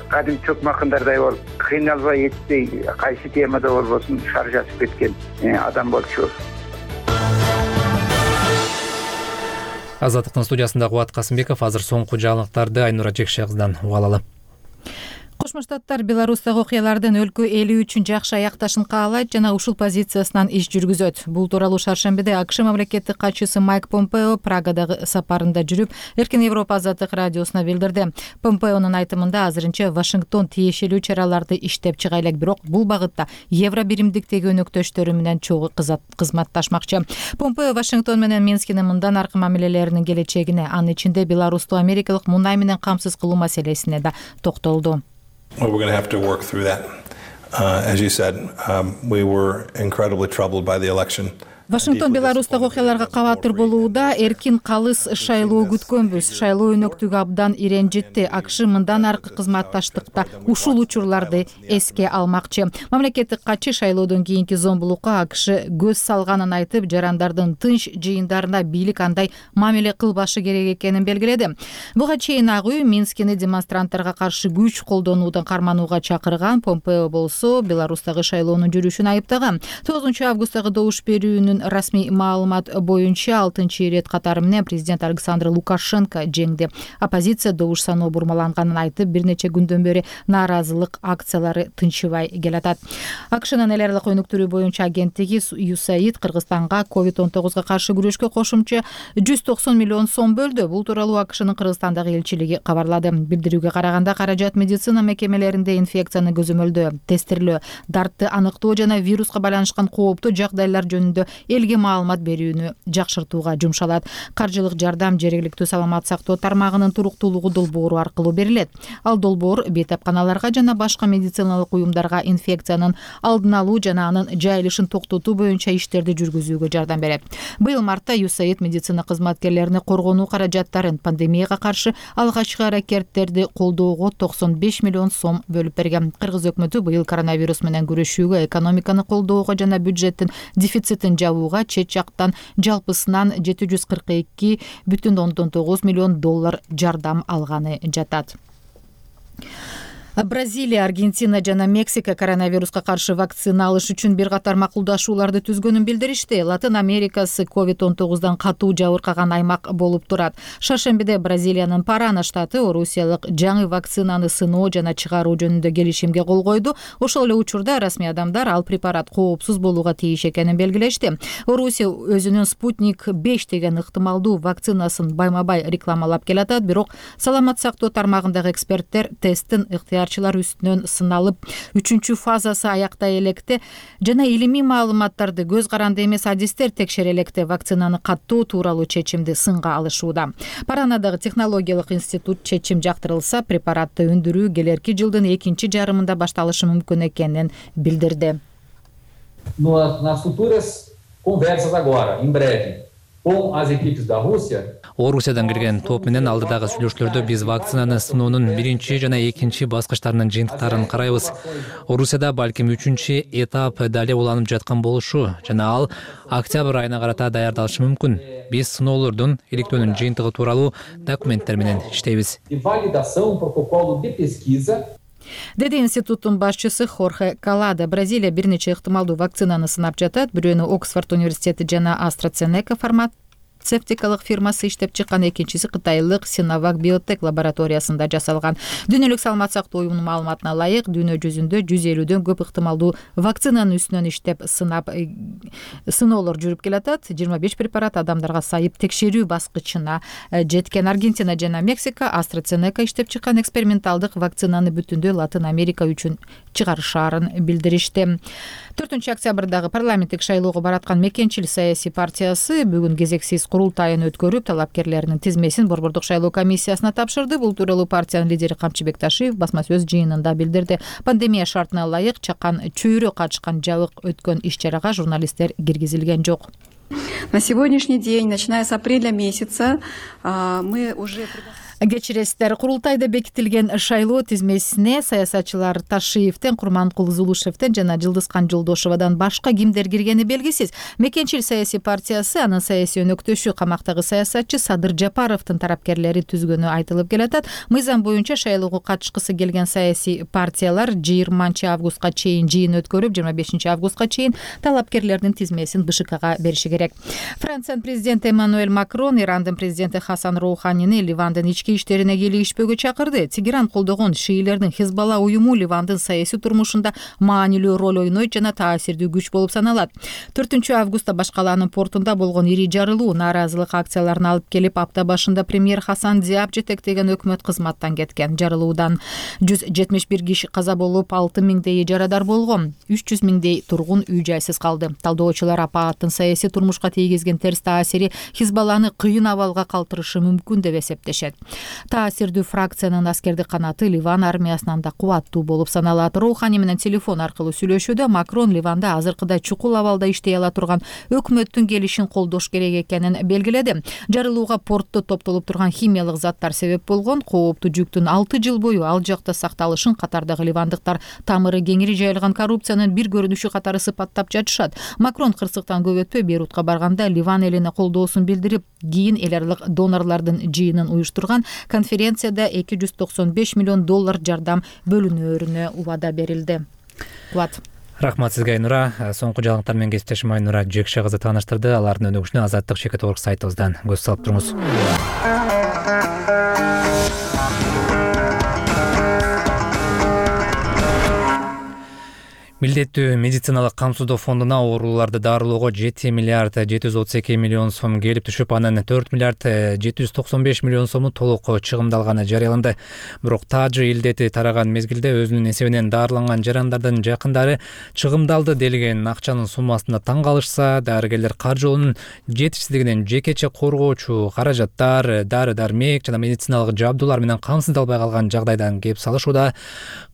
кадим чөкмө акындардай болуп, кыйналбай этпей, кайсы темада болбосун шаржасып кеткен адам болчу. Азаттыктын студиясында Кубат Касымбеков. Азыр соңку жаңылыктарды Айнура Жекше кыздан уга алалы. Кошмо Штаттар Беларустагы окуялардын өлкө эли үчүн жакшы аякташын каалайт жана ушул позициясынан иш жүргүзөт. Бул тууралуу шаршембиде АКШ мамлекеттик катчысы Майк Помпео Прагадагы сапарында жүрүп, Эркин Европа азаттык радиосуна билдирди. Помпеонун айтымында азырынча Вашингтон тиешелүү чараларды иштеп чыга элек, бирок бул багытта евро биримдиктеги өнөктөштөрү менен чогуу кызматташмакчы. Помпео Вашингтон менен Минскинин мындан аркы мамилелеринин келечегине, анын ичинде Беларусту америкалык мунай менен камсыз кылуу маселесине да токтолду. Well, we're going to have to work through that. As you said, we were incredibly troubled by the election. Вашингтон Беларустагы окуяларга кабатыр болууда, эркин калыс шайлоо күткөнбүз. Шайлоо өнөктүгү абдан иренжитти. АКШ мындан аркы кызматташтыкта ушул учурларды эске алмакчы. Мамлекеттик катчы шайлоодон кийинки зомбулукка АКШ көз салганын айтып, жарандардын тынч жыйындарына бийлик андай мамиле кылбашы керек экенин белгиледи. Буга чейин ак үй Минскини демонстранттарга каршы күч колдонуудан карманууга чакырган. Помпео болсо Беларустагы шайлоонун жүрүшүн айыптаган. 9 августтагы добуш берүүнүн расмий маалымат боюнча 6-рет катары менен президент Александр Лукашенко жеңди. Оппозиция добуш саноо бурмаланганын айтып, бир нече күндөн бери нааразылык акциялары тынчыбай келатат. АКШнын эл аралык өнүктүрүү боюнча агенттиги USAID Кыргызстанга COVID-19 каршы күрөшкө кошумча 190 миллион сом бөлдү. Бул тууралуу АКШнын Кыргызстандагы элчилиги кабарлады. Билдирүүгө караганда каражат медицина мекемелеринде инфекцияны көзөмөлдөө, тестирлөө, дартты аныктоо жана вируска байланышкан кооптуу жагдайлар жөнүндө элге маалымат берүүнү жакшыртууга жумшалат. Каржылык жардам жергиликтүү саламат сактоо тармагынын туруктуулугу долбоору аркылуу берилет. Ал долбоор бейтапканаларга жана башка медициналык уюмдарга инфекциянын алдын алуу жана анын жайылышын токтотуу боюнча иштерди жүргүзүүгө жардам берет. Быйыл мартта USAID медицина кызматкерлерине коргонуу каражаттарын пандемияга каршы алгачкы аракеттерди колдоого 95 миллион сом бөлүп берген. Кыргыз өкмөтү быйыл коронавирус менен күрөшүүгө, экономиканы колдоого жана бюджеттин дефицитин жабууга чет жактан жалпысынан 742,9 миллион доллар жардам алганы жатат. Бразилия, Аргентина жана Мексика коронавируска каршы вакцина алыш үчүн бир катар макулдашууларды түзгөнүн билдиришти. Латын Америкасы COVID-19дан катуу жабыркаган аймак болуп турат. Шаршембиде Бразилиянын Парана штаты орусиялык жаңы вакцинаны сыноо жана чыгаруу жөнүндө келишимге кол койду. Ошол эле учурда расмий адамдар ал препарат коопсуз болууга тийиш экенин белгилешти. Орусия өзүнүн Спутник 5 деген ыктымалдуу вакцинасын байма-бай рекламалап келатат, бирок саламат сактоо тармагындагы эксперттер тесттин ыктыярый даярчылар үстүнөн сыналып 3-фазасы аяктай электе жана илимий маалыматтарды көз каранды эмес адистер текшере электе вакцинаны каттоо тууралуу чечимди сынга алышууда. Паранадагы технологиялык институт чечим жактырылса, препаратты өндүрүү келерки жылдын экинчи жарымында башталышы мүмкүн экенин билдирди. Nas futuras conversas agora, em breve, com as equipes da Rússia. Орусиядан келген топ менен алдыдагы сүйлөшүүлөрдө биз вакцинаны сыноонун биринчи жана экинчи баскычтарынын жыйынтыктарын карайбыз. Орусияда балким 3-чү этап дале уланып жаткан болушу жана ал октябрь айына карата даярдалышы мүмкүн. Биз сыноолордун иликтөөнүн жыйынтыгы тууралуу документтер менен иштейбиз. Деди институттун башчысы Хорхе Калада. Бразилия бир нече ыктымалдуу вакцинаны сынап жатат. Бирөөнү Оксфорд университети жана AstraZeneca фармацевтикалык фирмасы иштеп чыккан, экинчиси кытайлык Sinovac Biotech лабораториясында жасалган. Дүйнөлүк саламат сактоо уюмунун маалыматына ылайык, дүйнө жүзүндө 150дөн көп ыктымалдуу вакцинанын үстүнөн иштеп сыноолор жүрүп келатат. 25 препарат адамдарга сайып текшерүү баскычына жеткен. Аргентина жана Мексика AstraZeneca иштеп чыккан эксперименталдык вакцинаны бүтүндөй Латын Америка үчүн чыгарышаарын билдиришти. 4-октябрдагы парламенттик шайлоого бараткан Мекенчил саясий партиясы бүгүн кезексиз курултайын өткөрүп, талапкерлеринин тизмесин Борбордук шайлоо комиссиясына тапшырды. Бул тууралуу партиянын лидери Камчыбек Ташиев басма сөз жыйынында билдирди. Пандемия шартына ылайык чакан чөйрө качкан жабык өткөн иш-чарага журналисттер киргизилген жок. На сегодняшний день, начиная с апреля месяца, мы уже... Кечиресиздер, курултайда бекитилген шайлоо тизмесине саясатчылар Ташиевден, Курманкул Зулушевден жана Жылдызкан Жолдошевадан башка кимдер киргени белгисиз. Мекенчил саясий партиясы анын саясий өнөктөшү камактагы саясатчы Садыр Жапаровдун тарапкерлери түзгөнү айтылып келатат. Мыйзам боюнча шайлоого катышкысы келген саясий партиялар 20-августка чейин жыйын өткөрүп, 25-августка чейин талапкерлердин тизмесин БШКга бериши керек. Франциянын президенти Эммануэль Макрон Ирандын президенти Хасан Роуханини Ливандын ички иштерине кийлигишпөөгө чакырды. Тегеран колдогон шиилердин Хизбалла уюму Ливандын саясий турмушунда маанилүү роль ойнойт жана таасирдүү күч болуп саналат. 4-августта Башкалаанын портунда болгон ири жарылуу нааразылык акцияларына алып келип, апта башында премьер Хасан Диаб жетектеген өкмөт кызматтан кеткен. Жарылуудан 171 киши каза болуп, 6000дей жарадар болгон. 300 миңдей тургун үй-жайсыз калды. Талдоочулар апааттын саясий турмушка тийгизген терс таасири Хизбалланы кыйын абалга калтырышы мүмкүн деп эсептешет. Таасирдүү фракциянын аскердик канаты Ливан армиясынан да кубаттуу болуп саналат. Роухани менен телефон аркылуу сүйлөшүүдө Макрон Ливанда азыркыдай чукул абалда иштей ала турган өкмөттүн келишин колдош керек экенин белгиледи. Жарылууга портто топтолуп турган химиялык заттар себеп болгон. Кооптуу жүктүн 6 жыл бою ал жакта сакталышын катардагы ливандыктар тамыры кеңири жайылган коррупциянын бир көрүнүшү катары сыпаттап жатышат. Макрон кырсыктан көп өтпөй Бейрутка барганда Ливан элине колдоосун билдирип, кийин эл аралык донорлордун жыйынын уюштурган конференцияда $295 миллион жардам бөлүнөөрүнө убада берилди. Рахмат сизге, Айнура. Соңку жаңылыктар менен кесиптешим Айнура Жекше кызы тааныштырды. Алардын өнүгүшүнө Азаттык.org сайтыбыздан көз салып туруңуз. Милдеттүү медициналык камсыздоо фондуна ооруларды дарылоого 7 миллиард 732 миллион сом келип түшүп, анын 4 миллиард 795 миллион сому толук чыгымдалганы жарыяланды. Бирок Таджи илдети тараган мезгилде өзүнүн эсебинен дарыланган жарандардын жакындары чыгымдалды делген акчанын суммасына таң калышса, дарыгерлер каржылоонун жетишсиздигинен жекече коргоочу каражаттар, дары-дармек жана медициналык жабдуулар менен камсыздалбай калган жагдайдан кеп салышууда.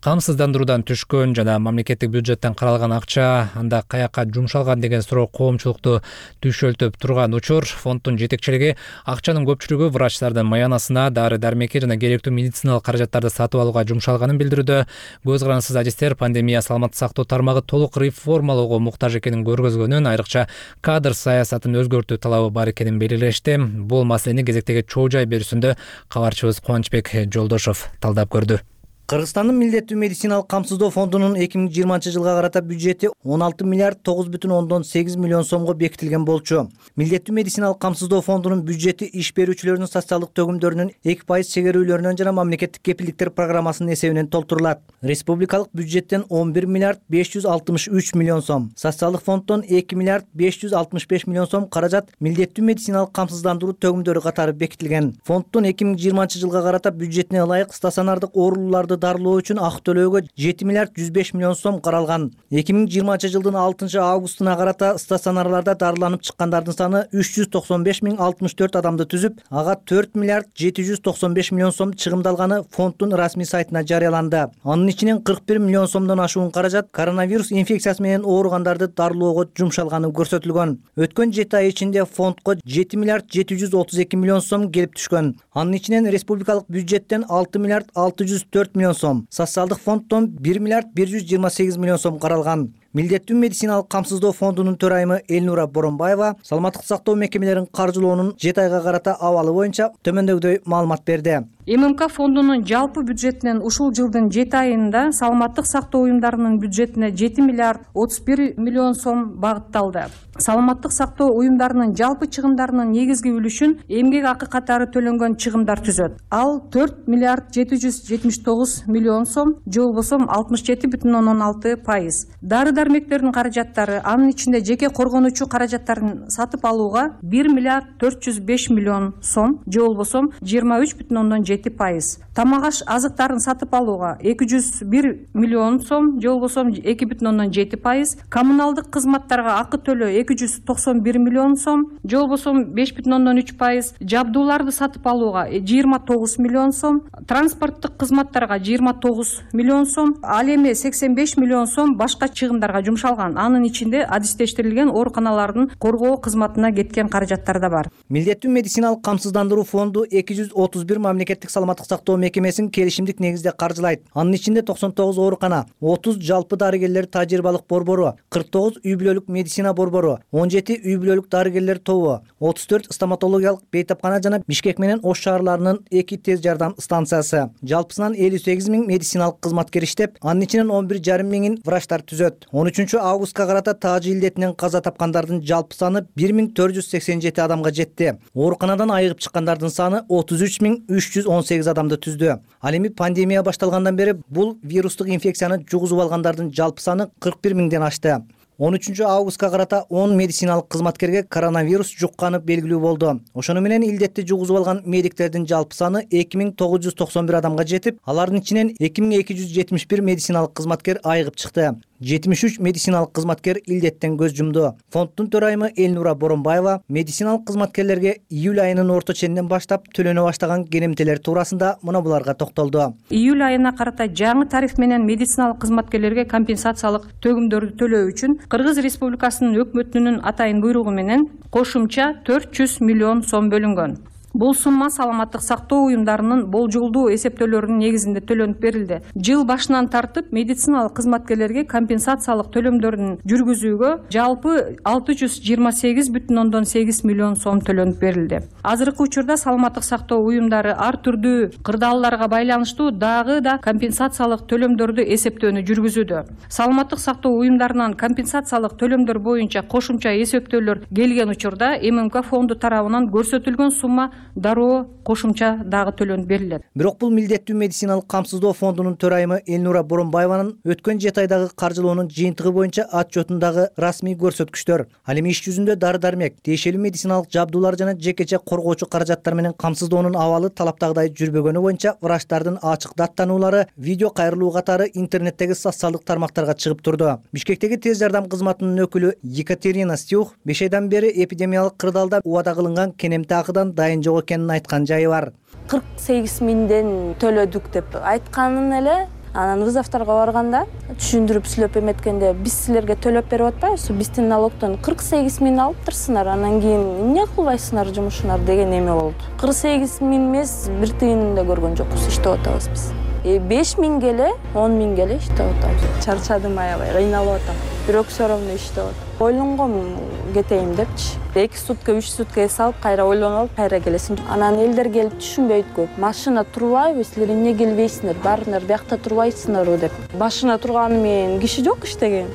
Камсыздандыруудан түшкөн жана мамлекеттик бюджеттен каралган акча анда каяка жумшалган деген суроо коомчулукту түшөлтүп турган учур. Фонддун жетекчилиги акчанын көпчүлүгү врачтардын маянасына, дары-дармекке жана керектүү медициналык каражаттарды сатып алууга жумшалганын билдирүүдө. Көз карандысыз адистер пандемия саламаттык сактоо тармагы толук реформалоого муктаж экенин көргөзгөнүн, айрыкча кадр саясатын өзгөртүү талабы бар экенин белгилешти. Бул маселени кезектеги чоо жай берүүсүндө кабарчыбыз Кубанычбек Жолдошов талдап көрдү. Кыргызстандын милдеттүү медициналык камсыздоо фондунун 2020 жылга карата бюджети 16 миллиард 9,8 миллион сомго бекитилген болчу. Милдеттүү медициналык камсыздоо фондунун бюджети иш берүүчүлөрдүн социалдык төгүмдөрүнүн 2% чегерүүлөрүнөн жана мамлекеттик кепилдиктер программасынын эсебинен толтурулат. Республикалык бюджеттен 11 миллиард 563 миллион сом, социалдык фонддон 2 миллиард 565 миллион сом каражат милдеттүү медициналык камсыздандыруу төгүмдөрү катары бекитилген. Фонддун 2020 жылга карата бюджетине ылайык стационардык оорулууларды дарылоо үчүн акы төлөөгө 7 миллиард 105 миллион сом каралган. 2020 жылдын 6 августуна карата стационарларда дарыланып чыккандардын саны 395.064 адамды түзүп, ага 4 миллиард 795 миллион сом чыгымдалганы фонддун расмий сайтына жарыяланды. Анын ичинен 41 миллион сомдон ашуун каражат коронавирус инфекциясы менен ооругандарды дарылоого жумшалганы көрсөтүлгөн. Өткөн 7 ай ичинде фондко 7 миллиард 732 миллион сом келип түшкөн. Анын ичинен республикалык бюджеттен 6 миллиард 604 миллион сом, социалдык фонддон 1 миллиард 128 миллион сом каралган. Милдеттүү медициналык камсыздоо фондунун төрайымы Элнура Боронбаева саламаттык сактоо мекемелерин каржылоонун 7 айга карата абалы боюнча төмөндөгүдөй маалымат берди. ММК фондунун жалпы бюджетинен ушул жылдын 7 айында саламаттык сактоо уюмдарынын бюджетине 7 миллиард 31 миллион сом багытталды. Саламаттык сактоо уюмдарынын жалпы чыгымдарынын негизги үлүшүн эмгек акы катары төлөнгөн чыгымдар түзөт. Ал 4 миллиард 779 миллион сом, же болбосо 67,6%. Дары-дармектердин каражаттары, анын ичинде жеке коргонуучу каражаттарын сатып алууга 1 миллиард 405 миллион сом, же болбосо 23,7%. Тамак-аш азыктарын сатып алууга 201 миллион сом, же болбосо 2,7%. Коммуналдык кызматтарга акы төлөө 291 миллион сом, же болбосо 5,3%. Жабдууларды сатып алууга 29 миллион сом, транспорттук кызматтарга 29 миллион сом, ал эми 85 миллион сом башка чыгымдарга жумшалган. Анын ичинде адистештирилген ооруканалардын коргоо кызматына кеткен каражаттар да бар. Милдеттүү медициналык камсыздандыруу фонду 231 мамлекеттик саламаттык сактоо мекемесин келишимдик негизде каржылайт. Анын ичинде 99 оорукана, 30 жалпы дарыгерлер тажрыйбалык борбору, 49 үй бүлөлүк медицина борбору, 17 үй бүлөлүк дарыгерлер тобу, 34 стоматологиялык бейтапкана жана Бишкек менен Ош шаарларынын 2 тез жардам станциясы. Жалпысынан 58 000 медициналык кызматкер иштеп, анын ичинен 11,5 миң врачтар түзөт. 13 августка карата таажы илдетинен каза тапкандардын жалпы саны 1487 адамга жетти. Ооруканадан айыгып чыккандардын саны 33,318 адамды түздү. Ал эми пандемия башталгандан бери бул вирустук инфекцияны жугузуп алгандардын жалпы саны 41 миңден ашты. 13 августка карата 10 медициналык кызматкерге коронавирус жукканы белгилүү болду. Ошону менен илдетти жугузуп алган медиктердин жалпы саны 2991 адамга жетип, алардын ичинен 2271 медициналык кызматкер айыгып чыкты. 73 медициналык кызматкер илдеттен көз жумду. Фонддун төрайымы Элнура Боронбаева медициналык кызматкерлерге июль айынын орто ченинен баштап төлөнө баштаган керемтелер туурасында мына буларга токтолду. Июль айына карата жаңы тариф менен медициналык кызматкерлерге компенсациялык төгүмдөрдү төлөө үчүн Кыргыз Республикасынын өкмөтүнүн атайын буйругу менен кошумча 400 миллион сом бөлүнгөн. Бул сумма саламаттык сактоо уюмдарынын болжолдуу эсептөөлөрүнүн негизинде төлөнүп берилди. Жыл башынан тартып медициналык кызматкерлерге компенсациялык төлөмдөрдүн жүргүзүүгө жалпы 628,8 миллион сом төлөнүп берилди. Азыркы учурда саламаттык сактоо уюмдары ар түрдүү кырдаалдарга байланыштуу дагы да компенсациялык төлөмдөрдү эсептөөнү жүргүзүүдө. Саламаттык сактоо уюмдарынан компенсациялык төлөмдөр боюнча кошумча эсептөөлөр келген учурда ММК фонду тарабынан көрсөтүлгөн сумма дароо кошумча дагы төлөнүп берилет. Бирок бул милдеттүү медициналык камсыздоо фондунун төрайымы Элнура Боронбаеванын өткөн 7 айдагы каржылоонун жыйынтыгы боюнча отчетундагы расмий көрсөткүчтөр. Ал эми иш жүзүндө дары-дармек, тиешелүү медициналык жабдуулар жана жекече коргоочу каражаттар менен камсыздоонун абалы талаптагыдай жүрбөгөнү боюнча врачтардын ачык даттануулары видео кайрылуу катары интернеттеги социалдык тармактарга чыгып турду. Бишкектеги тез жардам кызматынын өкүлү Екатерина Стюх 5 айдан бери эпидемиялык кырдаалда убада кылынган кенемти акыдан дайын жок экенин айткан жайы бар. 48 миңден төлөдүк деп айтканын эле анан вызовторго барганда түшүндүрүп сүйлөп эметкенде биз силерге төлөп берип атпайбызбы, биздин налогдон 48 миң алыптырсыңар, анан кийин эмне кылбайсыңар жумушуңар деген эме болду. 48 миң эмес, бир тыйынын да көргөн жокпуз, иштеп атабыз биз. 5 миңге эле, 10 миңге эле иштеп атабыз. Чарчадым аябай, кыйналып атам. Бирок все равно иштеп атам. Ойлонгом кетейин депчи. 2 сутка, 3 сутка эс алып, кайра ойлонуп алып, кайра келесиң. Анан элдер келип түшүнбөйт көп. Машина турбайбы, силер эмне келбейсиңер? Барыңар, биякта турбайсыңарбы деп. Башына турганы менен киши жок иштеген.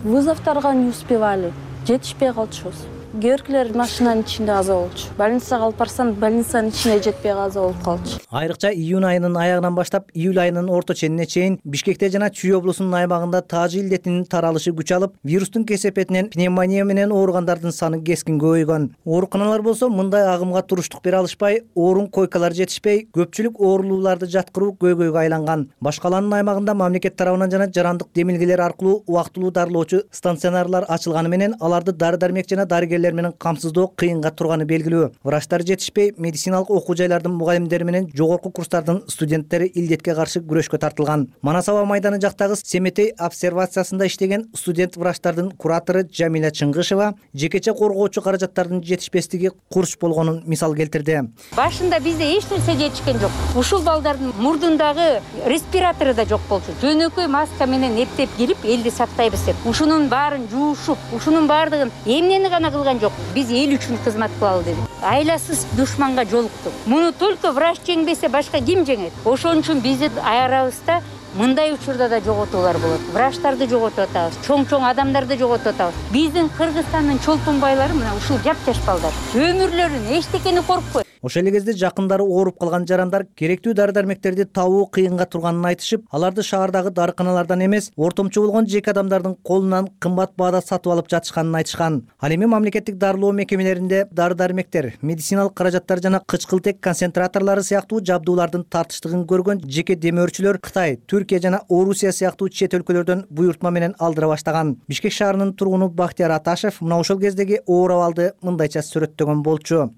Вызовторго не успевали. Жетишпей калчубуз. кээ биркилер машинанын ичинде каза болчу. Больницага алып барсам, больницанын ичине жетпей каза болуп калчу. Айрыкча июнь айынын аягынан баштап июль айынын орто ченине чейин Бишкекте жана Чүй облусунун аймагында таажы илдетинин таралышы күч алып, вирустун кесепетинен пневмония менен ооругандардын саны кескин көбөйгөн. Ооруканалар болсо мындай агымга туруштук бере алышпай, орун койкалар жетишпей, көпчүлүк оорулууларды жаткыруу көйгөйгө айланган. Башкаланын аймагында мамлекет тарабынан жана жарандык демилгелер аркылуу убактылуу дарылоочу станционарлар ачылганы менен аларды дары-дармек жана дарыгерлер менен камсыздоо кыйынга турганы белгилүү. Врачтар жетишпей, медициналык окуу жайлардын мугалимдери менен жогорку курстардын студенттери илдетке каршы күрөшкө тартылган. Манас аба майданы жактагы Семетей обсервациясында иштеген студент врачтардын куратору Жамиля Чыңгышева жекече коргоочу каражаттардын жетишпестиги курч болгонун мисал келтирди. Башында бизде эч нерсе жетишкен жок. Ушул балдардын мурдундагы респиратору да жок болчу. Жөнөкөй маска менен эптеп келип элди сактайбыз деп. Ушунун баарын жуушуп, ушунун баардыгын эмнени гана кылган жок. Биз эл үчүн кызмат кылалы дедик. Айласыз душманга жолуктук. Муну только врач жеңбесе башка ким жеңет? Ошон үчүн биздин аярабызда мындай учурда да жоготуулар болот. Врачтарды жоготуп атабыз, чоң адамдарды жоготуп атабыз. Биздин Кыргызстандын чолпон байлары мына ушул жап-жаш балдар. Өмүрлөрүн эчтекени коркпойт. Ошол эле кезде жакындары ооруп калган жарандар керектүү дары-дармектерди табуу кыйынга турганын айтышып, аларды шаардагы дарыканалардан эмес, ортомчу болгон жеке адамдардын колунан кымбат баада сатып алып жатышканын айтышкан. Ал эми мамлекеттик дарылоо мекемелеринде дары-дармектер, медициналык каражаттар жана кычкылтек концентраторлору сыяктуу жабдуулардын тартыштыгын көргөн жеке демөөрчүлөр Кытай, Түркия жана Орусия сыяктуу чет өлкөлөрдөн буйртма менен алдыра баштаган. Бишкек шаарынын тургуну Бактияр Аташев мына ошол кездеги оор абалды мындайча сүрөттөгөн болчу.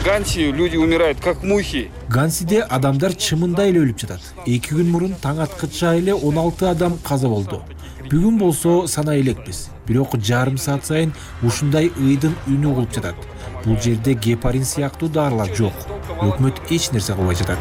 Ганси люди умирают как мухи. Гансиде адамдар чымындай эле өлүп жатат. 2 күн мурун таң аткыча эле 16 адам каза болду. Бүгүн болсо санай элекпиз. Бирок жарым саат сайын ушундай ыйдын үнү угулуп жатат. Бул жерде гепарин сыяктуу дарылар жок. Өкмөт эч нерсе кылбай жатат.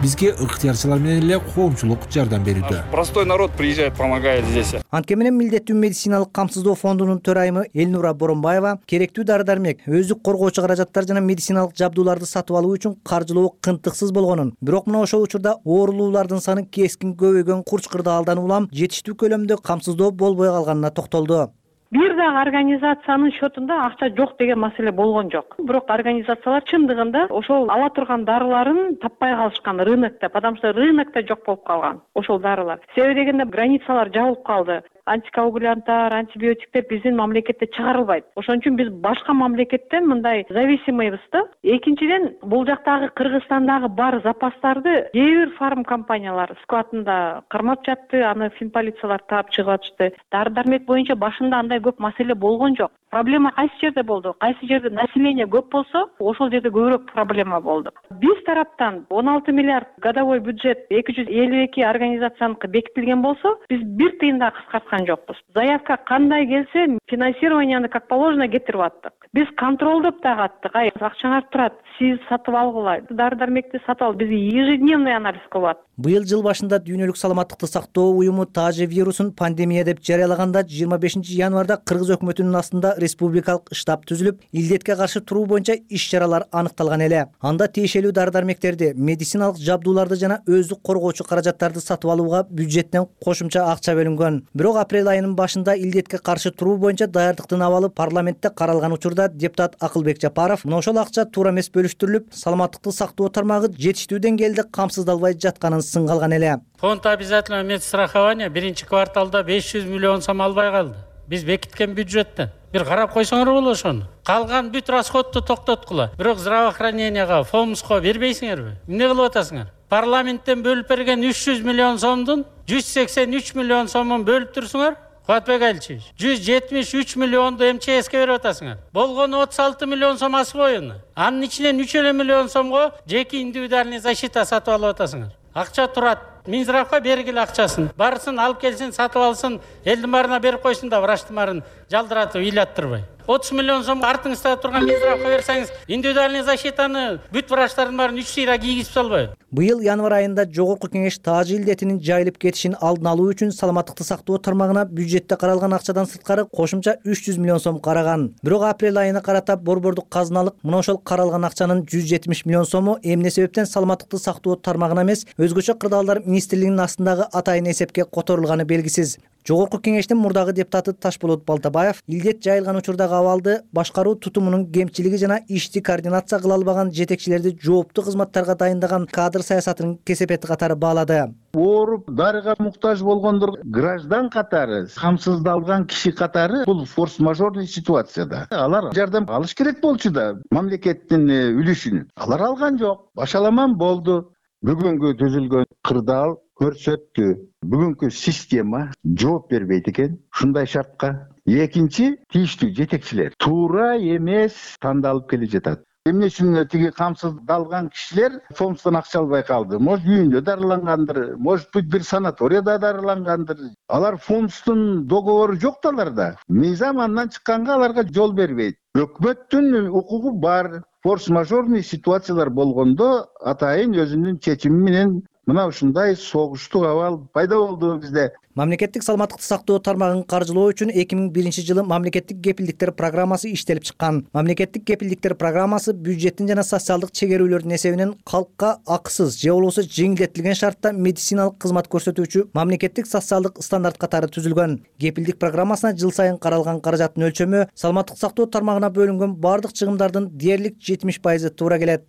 Бизге ыктыярчылар менен эле коомчулук жардам берүүдө. Простой народ приезжает, помогает здесь. Анткени менен милдеттүү медициналык камсыздоо фондунун төрайымы Элнура Боронбаева керектүү дары-дармек, өздүк коргоочу каражаттар жана медициналык жабдууларды сатып алуу үчүн каржылоо кынтыксыз болгонун, бирок мына ошол учурда оорулуулардын саны кескин көбөйгөн Курч-Кырдаалдан улам жетиштүү көлөмдө камсыздоо болбой калганына токтолду. Бир дагы организациянын счетунда акча жок деген маселе болгон жок. Бирок организациялар чындыгында ошол ала турган дарыларын таппай калышкан рынокто, потому что рынокто жок болуп калган ошол дарылар. Себеби дегенде границалар жабылып калды. Антикоагулянттар, антибиотиктер биздин мамлекетте чыгарылбайт. Ошон үчүн биз башка мамлекеттен мындай зависимыйбыз да. Экинчиден, бул жактагы Кыргызстандагы бар запастарды кээ бир фарм компаниялар складында кармап жатты, аны финполициялар таап чыгып атышты. Дары-дармек боюнча башында андай көп маселе болгон жок. Проблема кайсы жерде болду? Кайсы жерде население көп болсо, ошол жерде көбүрөөк проблема болду. Биз тараптан 16 миллиард годовой бюджет 252 организацияныкы бекитилген болсо, биз бир тыйын да кыскарткан жокпуз. Заявка кандай келсе, финансированияны как положено кетирип аттык. Биз контролдоп дагы аттык. Акчаңар турат, сиз сатып алгыла, дары-дармекти сатып ал. Биз ежедневный анализ кылып аттык. Быйыл жыл башында Дүйнөлүк саламаттыкты сактоо уюму таажы вирусун пандемия деп жарыялаганда 25 январда Кыргыз өкмөтүнүн астында республикалык штаб түзүлүп, илдетке каршы туруу боюнча иш-чаралар аныкталган эле. Анда тиешелүү дары-дармектерди, медициналык жабдууларды жана өздүк коргоочу каражаттарды сатып алууга бюджеттен кошумча акча бөлүнгөн. Бирок апрель айынын башында илдетке каршы туруу боюнча даярдыктын абалы парламентте каралган учурда депутат Акылбек Жапаров мына ошол акча туура эмес бөлүштүрүлүп, саламаттыкты сактоо тармагы жетиштүү деңгээлде камсыздалбай жатканын сынгалган эле. Фонд обязательного медстрахования биринчи кварталда 500 миллион сом албай калды. Биз бекиткен бюджеттен. Бир карап койсоңор болот ошону. Калган бүт расходду токтоткула. Бирок здравоохраненияга, фомско бербейсиңерби? Эмне кылып атасыңар? Парламенттен бөлүп берген 300 миллион сомдун 183 миллион сомун бөлүп турсуңар. Куатбек Алчевич, 173 миллионду МЧСке берип атасыңар. Болгону 36 миллион сом асбоюну. Анын ичинен 3 миллион сомго жеке индивидуальный защита сатып алып атасыңар. Акча турат. Минздравга бергиле акчасын. Барсын алып келсин, сатып алсын, элдин баарына берип койсун да врачтын баарын жалдыратып ыйлаттырбай. 30 миллион сом артыңызда турган Минздравга берсеңиз, индивидуальный защитаны бүт врачтардын баарын 3 сыйра кийгизип салбайбы? Быйыл январь айында Жогорку Кеңеш таажы илдетинин жайылып кетишин алдын алуу үчүн саламаттыкты сактоо тармагына бюджетте каралган акчадан сырткары кошумча 300 миллион сом караган. Бирок апрель айына карата борбордук казыналык мына ошол каралган акчанын 170 миллион сому эмне себептен саламаттыкты сактоо тармагына эмес, өзгөчө кырдаалдар министрлигинин астындагы атайын эсепке которулганы белгисиз. Жогорку Кеңештин мурдагы депутаты Ташболот Балтабаев илдет жайылган учурдагы абалды башкаруу тутумунун кемчилиги жана ишти координация кыла албаган жетекчилерди жооптуу кызматтарга дайындаган кадр саясатынын кесепети катары баалады. Ооруп дарыга муктаж болгондор граждан катары, камсыздалган киши катары бул форс-мажорный ситуацияда. Алар жардам алыш керек болчу да мамлекеттин үлүшүн. Алар алган жок. Башаламан болду. Бүгүнкү түзүлгөн кырдаал көрсөттү. Бүгүнкү система жооп бербейт экен ушундай шартка. Экинчи, тийиштүү жетекчилер туура эмес тандалып келе жатат. Эмне үчүн тиги камсыздалган кишилер фонддон акча албай калды? Может, үйүндө дарылангандыр, может быть, бир санаторияда дарылангандыр. Алар фонддун договору жок да аларда. Мыйзам андан чыкканга аларга жол бербейт. Өкмөттүн укугу бар. Форс-мажорный ситуациялар болгондо атайын өзүнүн чечими менен мына ушундай согуштук абал пайда болду бизде. Мамлекеттик саламаттыкты сактоо тармагын каржылоо үчүн 2001 жылы мамлекеттик кепилдиктер программасы иштелип чыккан. Мамлекеттик кепилдиктер программасы бюджеттин жана социалдык чегерүүлөрдүн эсебинен калкка акысыз же болбосо жеңилдетилген шартта медициналык кызмат көрсөтүүчү мамлекеттик социалдык стандарт катары түзүлгөн. Кепилдик программасына жыл сайын каралган каражаттын өлчөмү саламаттык сактоо тармагына бөлүнгөн бардык чыгымдардын дээрлик 70% туура келет.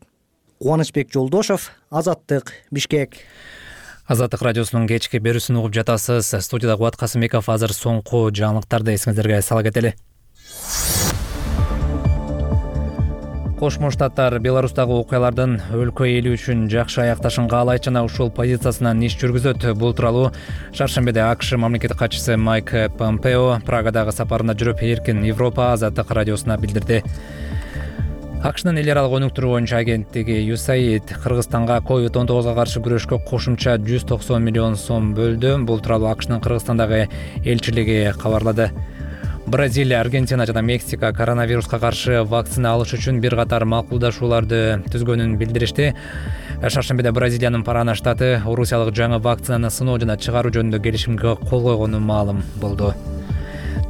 Кубанычбек Жолдошов, Азаттык, Бишкек. Азаттык радиосунун кечки берүүсүн угуп жатасыз. Студияда Кубат Касымбеков. Азыр соңку жаңылыктарды эсиңиздерге сала кетели. Кошмо Штаттар Беларустагы окуялардын өлкө эли үчүн жакшы аякташын каалайт жана ушул позициясынан иш жүргүзөт. Бул тууралуу шаршембиде АКШ мамлекеттик катчысы Майк Помпео Прагадагы сапарында жүрүп Эркин Европа Азаттык радиосуна билдирди. АКШнын эл аралык өнүктүрүү боюнча агенттиги USAID Кыргызстанга COVID-19 каршы күрөшкө кошумча 190 миллион сом бөлдү. Бул тууралуу АКШнын Кыргызстандагы элчилиги кабарлады. Бразилия, Аргентина жана Мексика коронавируска каршы вакцина алыш үчүн бир катар макулдашууларды түзгөнүн билдиришти. Шаршембиде Бразилиянын Парана штаты орусиялык жаңы вакцинаны сыноо жана чыгаруу жөнүндө келишимге кол койгону маалым болду.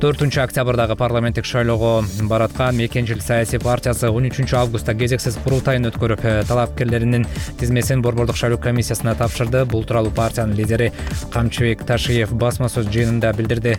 4 октябрдагы парламенттик шайлоого бараткан Мекенчил саясий партиясы 13 августта кезексиз курултайын өткөрүп, талапкерлеринин тизмесин борбордук шайлоо комиссиясына тапшырды. Бул тууралуу партиянын лидери Камчыбек Ташиев басма сөз жыйынында билдирди.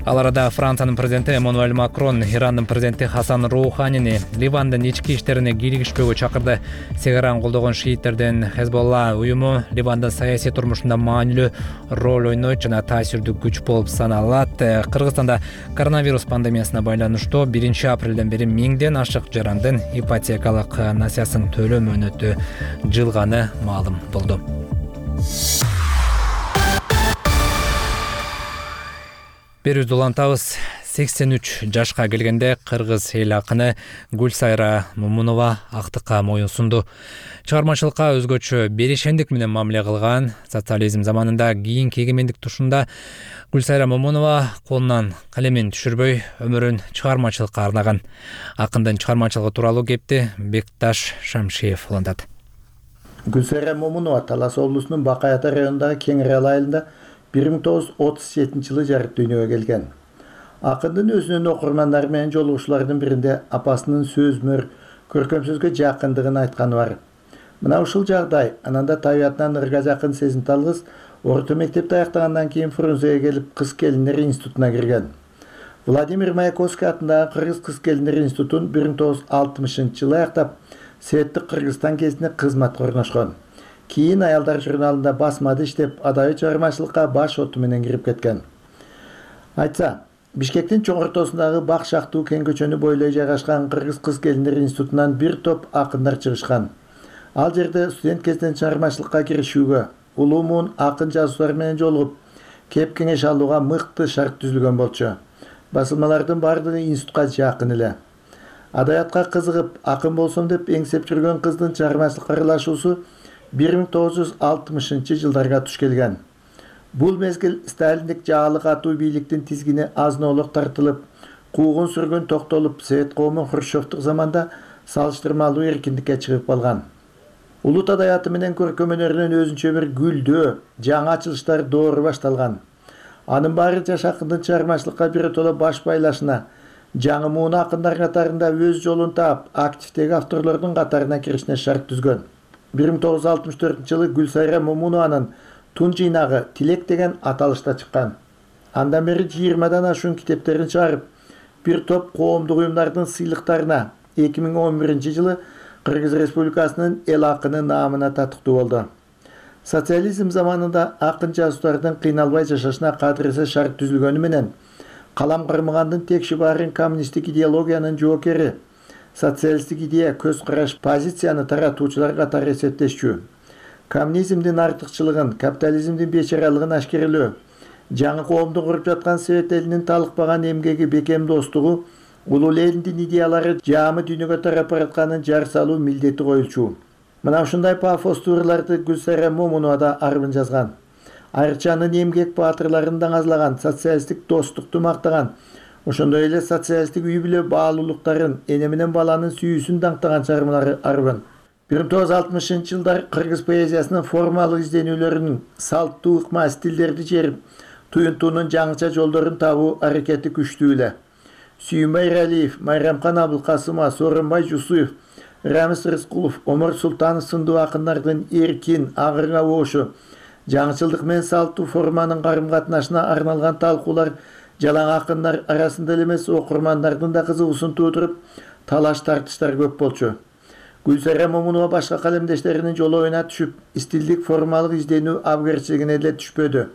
Ал арада Франциянын президенти Эммануэль Макрон Ирандын президенти Хасан Роуханини Ливандын ички иштерине кийлигишпөөгө чакырды. Сегараны колдогон шииттердин Хезболла уюму Ливандын саясий турмушунда маанилүү роль ойнойт жана таасирдүү күч болуп саналат. Кыргызстанда коронавирус пандемиясына байланыштуу 1 апрелден бери 1000ден ашык жарандын ипотекалык насыясын төлөө мөөнөтү жылганы маалым болду. Берүүбүздү улантабыз. 83 жашка келгенде кыргыз эл акыны Гүлсайра Момунова актыкка моюн сунду. Чыгармачылыкка өзгөчө беришендик менен мамиле кылган. Социализм заманында кийинки эгемендик тушунда Гүлсайра Момунова колунан калемин түшүрбөй өмүрүн чыгармачылыкка арнаган. Акындын чыгармачылыгы тууралуу кепти Бекташ Шамшиев улантат. Гүлсайра Момунова Талас облусунун Бакай Ата районундагы Кеңирал айылында 1937 жылы жарык дүйнөгө келген. Акындын өзүнүн окурмандары менен жолугушуулардын биринде апасынын сөзмөр, көркөм сөзгө жакындыгын айтканы бар. Мына ушул жагдай ананда табиятынан ырга жакын сезимтал кыз орто мектепти аяктагандан кийин Фрунзеге келип кыз келиндер институтуна кирген. Владимир Маяковский атындагы Кыргыз кыз келиндер институтун 1960 жылы аяктап, Светтик Кыргызстан кезинде кызматка орношкон. Кийин аялдар журналында басмада иштеп, адабий чыгармачылыкка баш оту менен кирип кеткен. Айтса, Бишкектин чоң ортосундагы Бак Шактуу кең көчөнү бойлой жайгашкан Кыргыз кыз келиндер институтунан бир топ акындар чыгышкан. Ал жерде студент кезинен чыгармачылыкка киришүүгө, улуу муун акын жазуучулар менен жолугуп, кеп кеңеш алууга мыкты шарт түзүлгөн болчу. Басылмалардын баардыгы институтка жакын эле. Адабиятка кызыгып, акын болсом деп эңсеп жүргөн кыздын чыгармачылыкка аралашуусу 1960 жылдарга туш келген. Бул мезгил сталиндик жаалык атуу бийликтин тизгини азын-оолук тартылып, куугун сүргөн токтолуп Совет коому Хрущевдук заманда салыштырмалуу эркиндикке чыгып калган. Улут адааты менен көркөм өнөрүнүн өзүнчө бир гүлдөө, жаңы ачылыштар доору башталган. Анын баары жаш акындын чыгармачылыкка биротоло баш байлашына, жаңы муун акындар катарында өз жолун таап, активдеги авторлордун катарына киришине шарт түзгөн. 1964-жылы Гүлсайра Момунованын Тун жыйнагы Тилек деген аталышта чыккан. Андан бери 20дан ашуун китептерин чыгарып, бир топ коомдук уюмдардын сыйлыктарына 2011-жылы Кыргыз Республикасынын эл акыны наамына татыктуу болду. Социализм заманында акын жазуучулардын кыйналбай жашашына кадыресе шарт түзүлгөнү менен калам кармагандын текши баарын коммунисттик идеологиянын жоокери, социалисттик идея, көз караш, позицияны таратуучулар катары эсептешчү. Коммунизмдин артыкчылыгын, капитализмдин бечаралыгын ашкерелөө, жаңы коомду куруп жаткан Совет элинин талыкпаган эмгеги, бекем достугу, улуу элдин идеялары жаамы дүйнөгө тарап баратканын жар салуу милдети коюлчу. Мына ушундай пафостуу ырларды Гүлсайра Момунова да арбын жазган. Айрыкча анын эмгек баатырларын даңазлаган, социалисттик достукту мактаган, ошондой эле социалисттик үй бүлө баалуулуктарын, эне менен баланын сүйүүсүн даңктаган чыгармалары арбын. 1960-жылдар кыргыз поэзиясынын формалык изденүүлөрүнүн салттуу ыкма стилдерди жерип, туюнтуунун жаңыча жолдорун табуу аракети күчтүү эле. Сүйүнбай Иралиев, Майрамкан Абылкасымова, Сооронбай Жусуев, Рамис Рыскулов, Омар Султанов сындуу акындардын эркин, агырга оошу, жаңычылдык менен салттуу форманын карым катнашына арналган талкуулар жалаң акындар арасында эле эмес окурмандардын да кызыгуусун туудуруп, талаш тартыштар көп болчу. Гүлсайра Момунова башка калемдештеринин жолоюна түшүп, стилдик формалык изденүү абгерчилигине эле түшпөдү.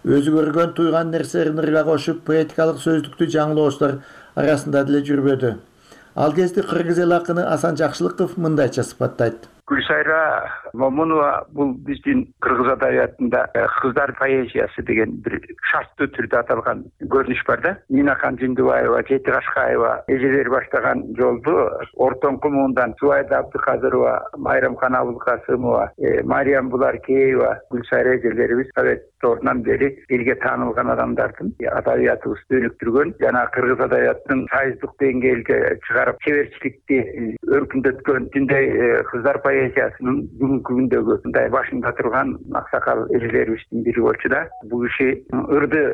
Өзү көргөн туйган нерселерин ырга кошуп, поэтикалык сөздүктү жаңылоочулар арасында деле жүрбөдү. Ал кезде кыргыз эл акыны Асан Жакшылыков мындайча сыпаттайт. Гүлсайра Момунова бул биздин кыргыз адабиятында кыздар поэзиясы деген бир шарттуу түрдө аталган көрүнүш бар да. Минакан Жындыбаева, Жети Кашкаева эжелер баштаган жолду ортоңку муундан Зубайда Абдыкадырова, Майрамкан Абылкасымова, Мариям Буларкеева, Гүлсайра эжелерибиз Совет торунан бери элге таанылган адамдардын адабиятыбызды өнүктүргөн жана кыргыз адабиятынын сайыздык деңгээлге чыгарып, чеберчиликти өркүндөткөн тиндей кыздар поэзиясынын бүгүнкү күндөгү мындай башында турган аксакал эжелерибиздин бири болчу да. Бул киши ырды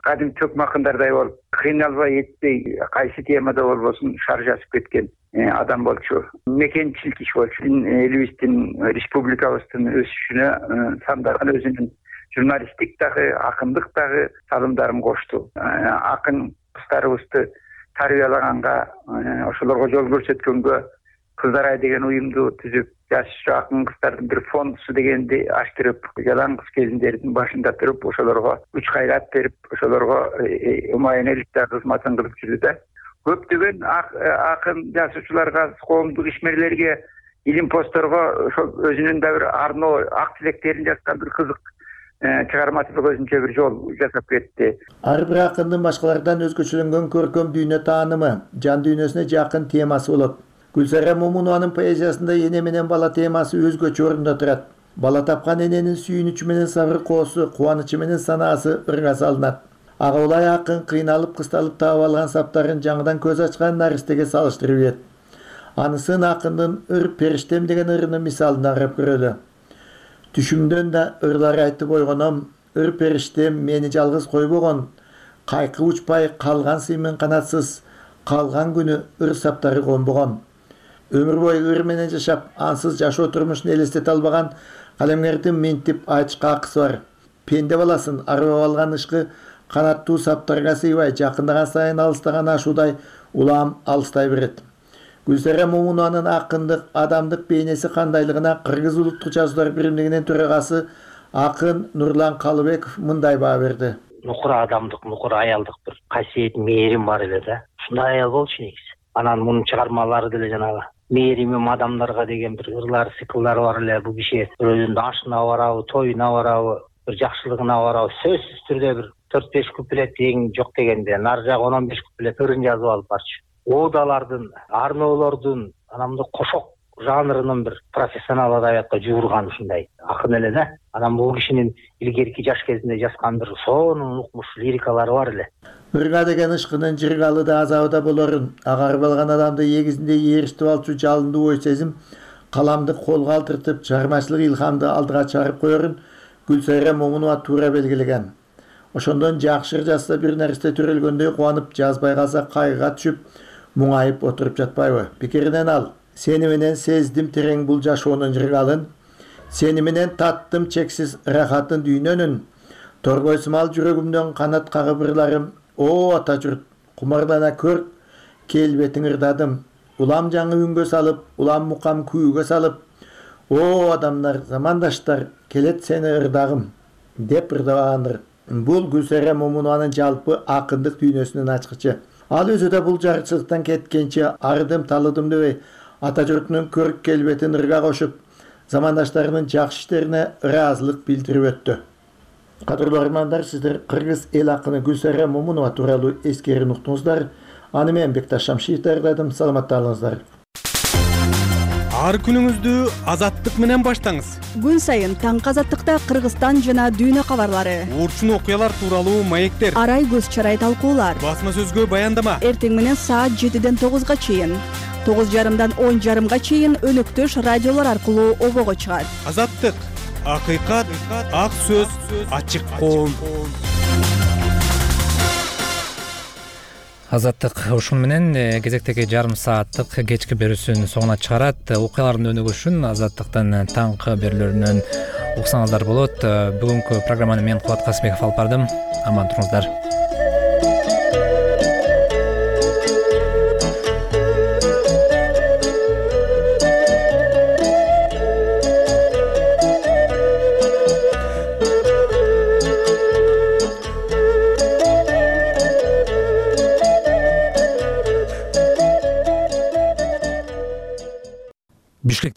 кадим чөкмө акындардай болуп, кыйналбай этпей, кайсы темада болбосун шар жазып кеткен адам болчу. Мекенчил киши болчу. Элибиздин, республикабыздын өсүшүнө сандаган өзүнүн журналисттик дагы, акындык дагы салымдарын кошту. Акын кыздарыбызды тарбиялаганга, ошолорго жол көрсөткөнгө Кыздар ай деген уюмду түзүп, жаш акын кыздардын бир фондусу дегенди аштырып, жалаң кыз келиндердин башында туруп, ошолорго күч кайрат берип, ошолорго умайенеликте кызматын кылып жүрдү да. Көптөгөн акын жазуучуларга, коомдук ишмерлерге, илим постторго ошол өзүнүн да бир арноо ак тилектерин жазган бир кызык чыгармачылык өзүнчө бир жол жасап кетти. Ар бир акындын башкалардан өзгөчөлөнгөн көркөм дүйнө таанымы, жан дүйнөсүнө жакын темасы болот. Гүлсайра Момунованын поэзиясында эне менен бала темасы өзгөчө орунда турат. Бала тапкан эненин сүйүнүчү менен сабыр коосу, кубанычы менен санаасы ырга салынат. Ага улай акын кыйналып, кысталып таап алган саптарын жаңыдан көз ачкан наристеге салыштырып ийет. Анысын акындын ыр периштем деген ырынын мисалына карап көрөлү. Түшүмдөн да ырлар айтып ойгоном, ыр периштем мени жалгыз койбогон, кайкы учпай калган сыймын канатсыз, калган күнү ыр саптары конбогон. Өмүр бою ыр менен жашап, ансыз жашоо турмушун элестете албаган калемгердин мынтип айтышка акысы бар. Пенде баласын арбап алган ышкы канаттуу саптарга сыйбай, жакындаган сайын алыстаган ашуудай улам алыстай берет. Гүлсайра Момунованын акындык, адамдык бейнеси кандайлыгына Кыргыз улуттук жазуулар биримдигинин төрагасы акын Нурлан Калыбеков мындай баа берди. Нукур адамдык, нукур аялдык бир касиет, мээрим бар эле да. Ушундай аял болчу негизи. Анан мунун чыгармалары деле жанагы мээримим адамдарга деген бир ырлар, сыйкылдары бар эле. Бул киши өзүнүн ашына барабы, тоюна барабы, бир жакшылыгына барабы, сөзсүз түрдө бир 4-5 куплет эң жок дегенде, нары жак 10-15 куплет ырын жазып алып барчу. Оодалардын, арноолордун, анамды кошок жанрынын бир профессионал адабиятка жуурган ушундай акын эле да. Анан бул кишинин илгерки жаш кезинде жазган бир сонун укмуш лирикалары бар эле. Ырга деген ышкынын жыргалыда азабыда болорун, агарып алган адамды эгизинде ээрчитип алчу жалындуу ой сезим каламды колго алдыртып, чыгармачылык илхамды алдыга чыгарып коерун Гүлсайра Момунова туура белгилеген. Ошондон жакшы жазса бир нерсе төрөлгөндөй кубанып, жазбай калса кайгыга түшүп, муңайып отуруп жатпайбы? Пикиринен ал: сени менен сездим терең бул жашоонун жыргалын, сени менен таттым чексиз рахатын дүйнөнүн, торбойсумал жүрөгүмдөн канат кагып ырларым, о ата журт, кумарлана көр, келбетиң ырдадым, улам жаңы үнгө салып, улам мукам күүгө салып, о адамдар, замандаштар, келет сени ырдагым деп ырдабагандыр. Бул Гүлсайра Момунованын жалпы акындык дүйнөсүнүн ачкычы. Ал өзү да бул жарчылыктан кеткенче арыдым талыдым дебей, ата журтунун көрк келбетин ырга кошуп, замандаштарынын жакшы иштерине ыраазылык билдирип өттү. Кадырлуу армандар, сиздер кыргыз эл акыны Гүлсайра Момунова тууралуу эскерин уктуңуздар. Аны мен Бекташ Шамшиев даярдадым. Саламатта калыңыздар. Ар күнүңүздү азаттык менен баштаңыз. Күн сайын таңкы азаттыкта Кыргызстан жана дүйнө кабарлары, Уурчун окуялар тууралуу маектер, арай көз чарай талкуулар, басма сөзгө баяндама. Эртең менен саат 7ден 9га чейин, 9:30дан 10:30га чейин өнөктөш радиолор аркылуу обого чыгат. Азаттык, акыйкат, ак сөз, ачык коом. Азаттык ушун менен кезектеги жарым сааттык кечки берүүсүн соңуна чыгарат. Окуялардын өнүгүшүн Азаттыктын таңкы берүүлөрүнөн уксаңыздар болот. Бүгүнкү программаны мен Кубат Касымбеков алып бардым. Аман туруңуздар.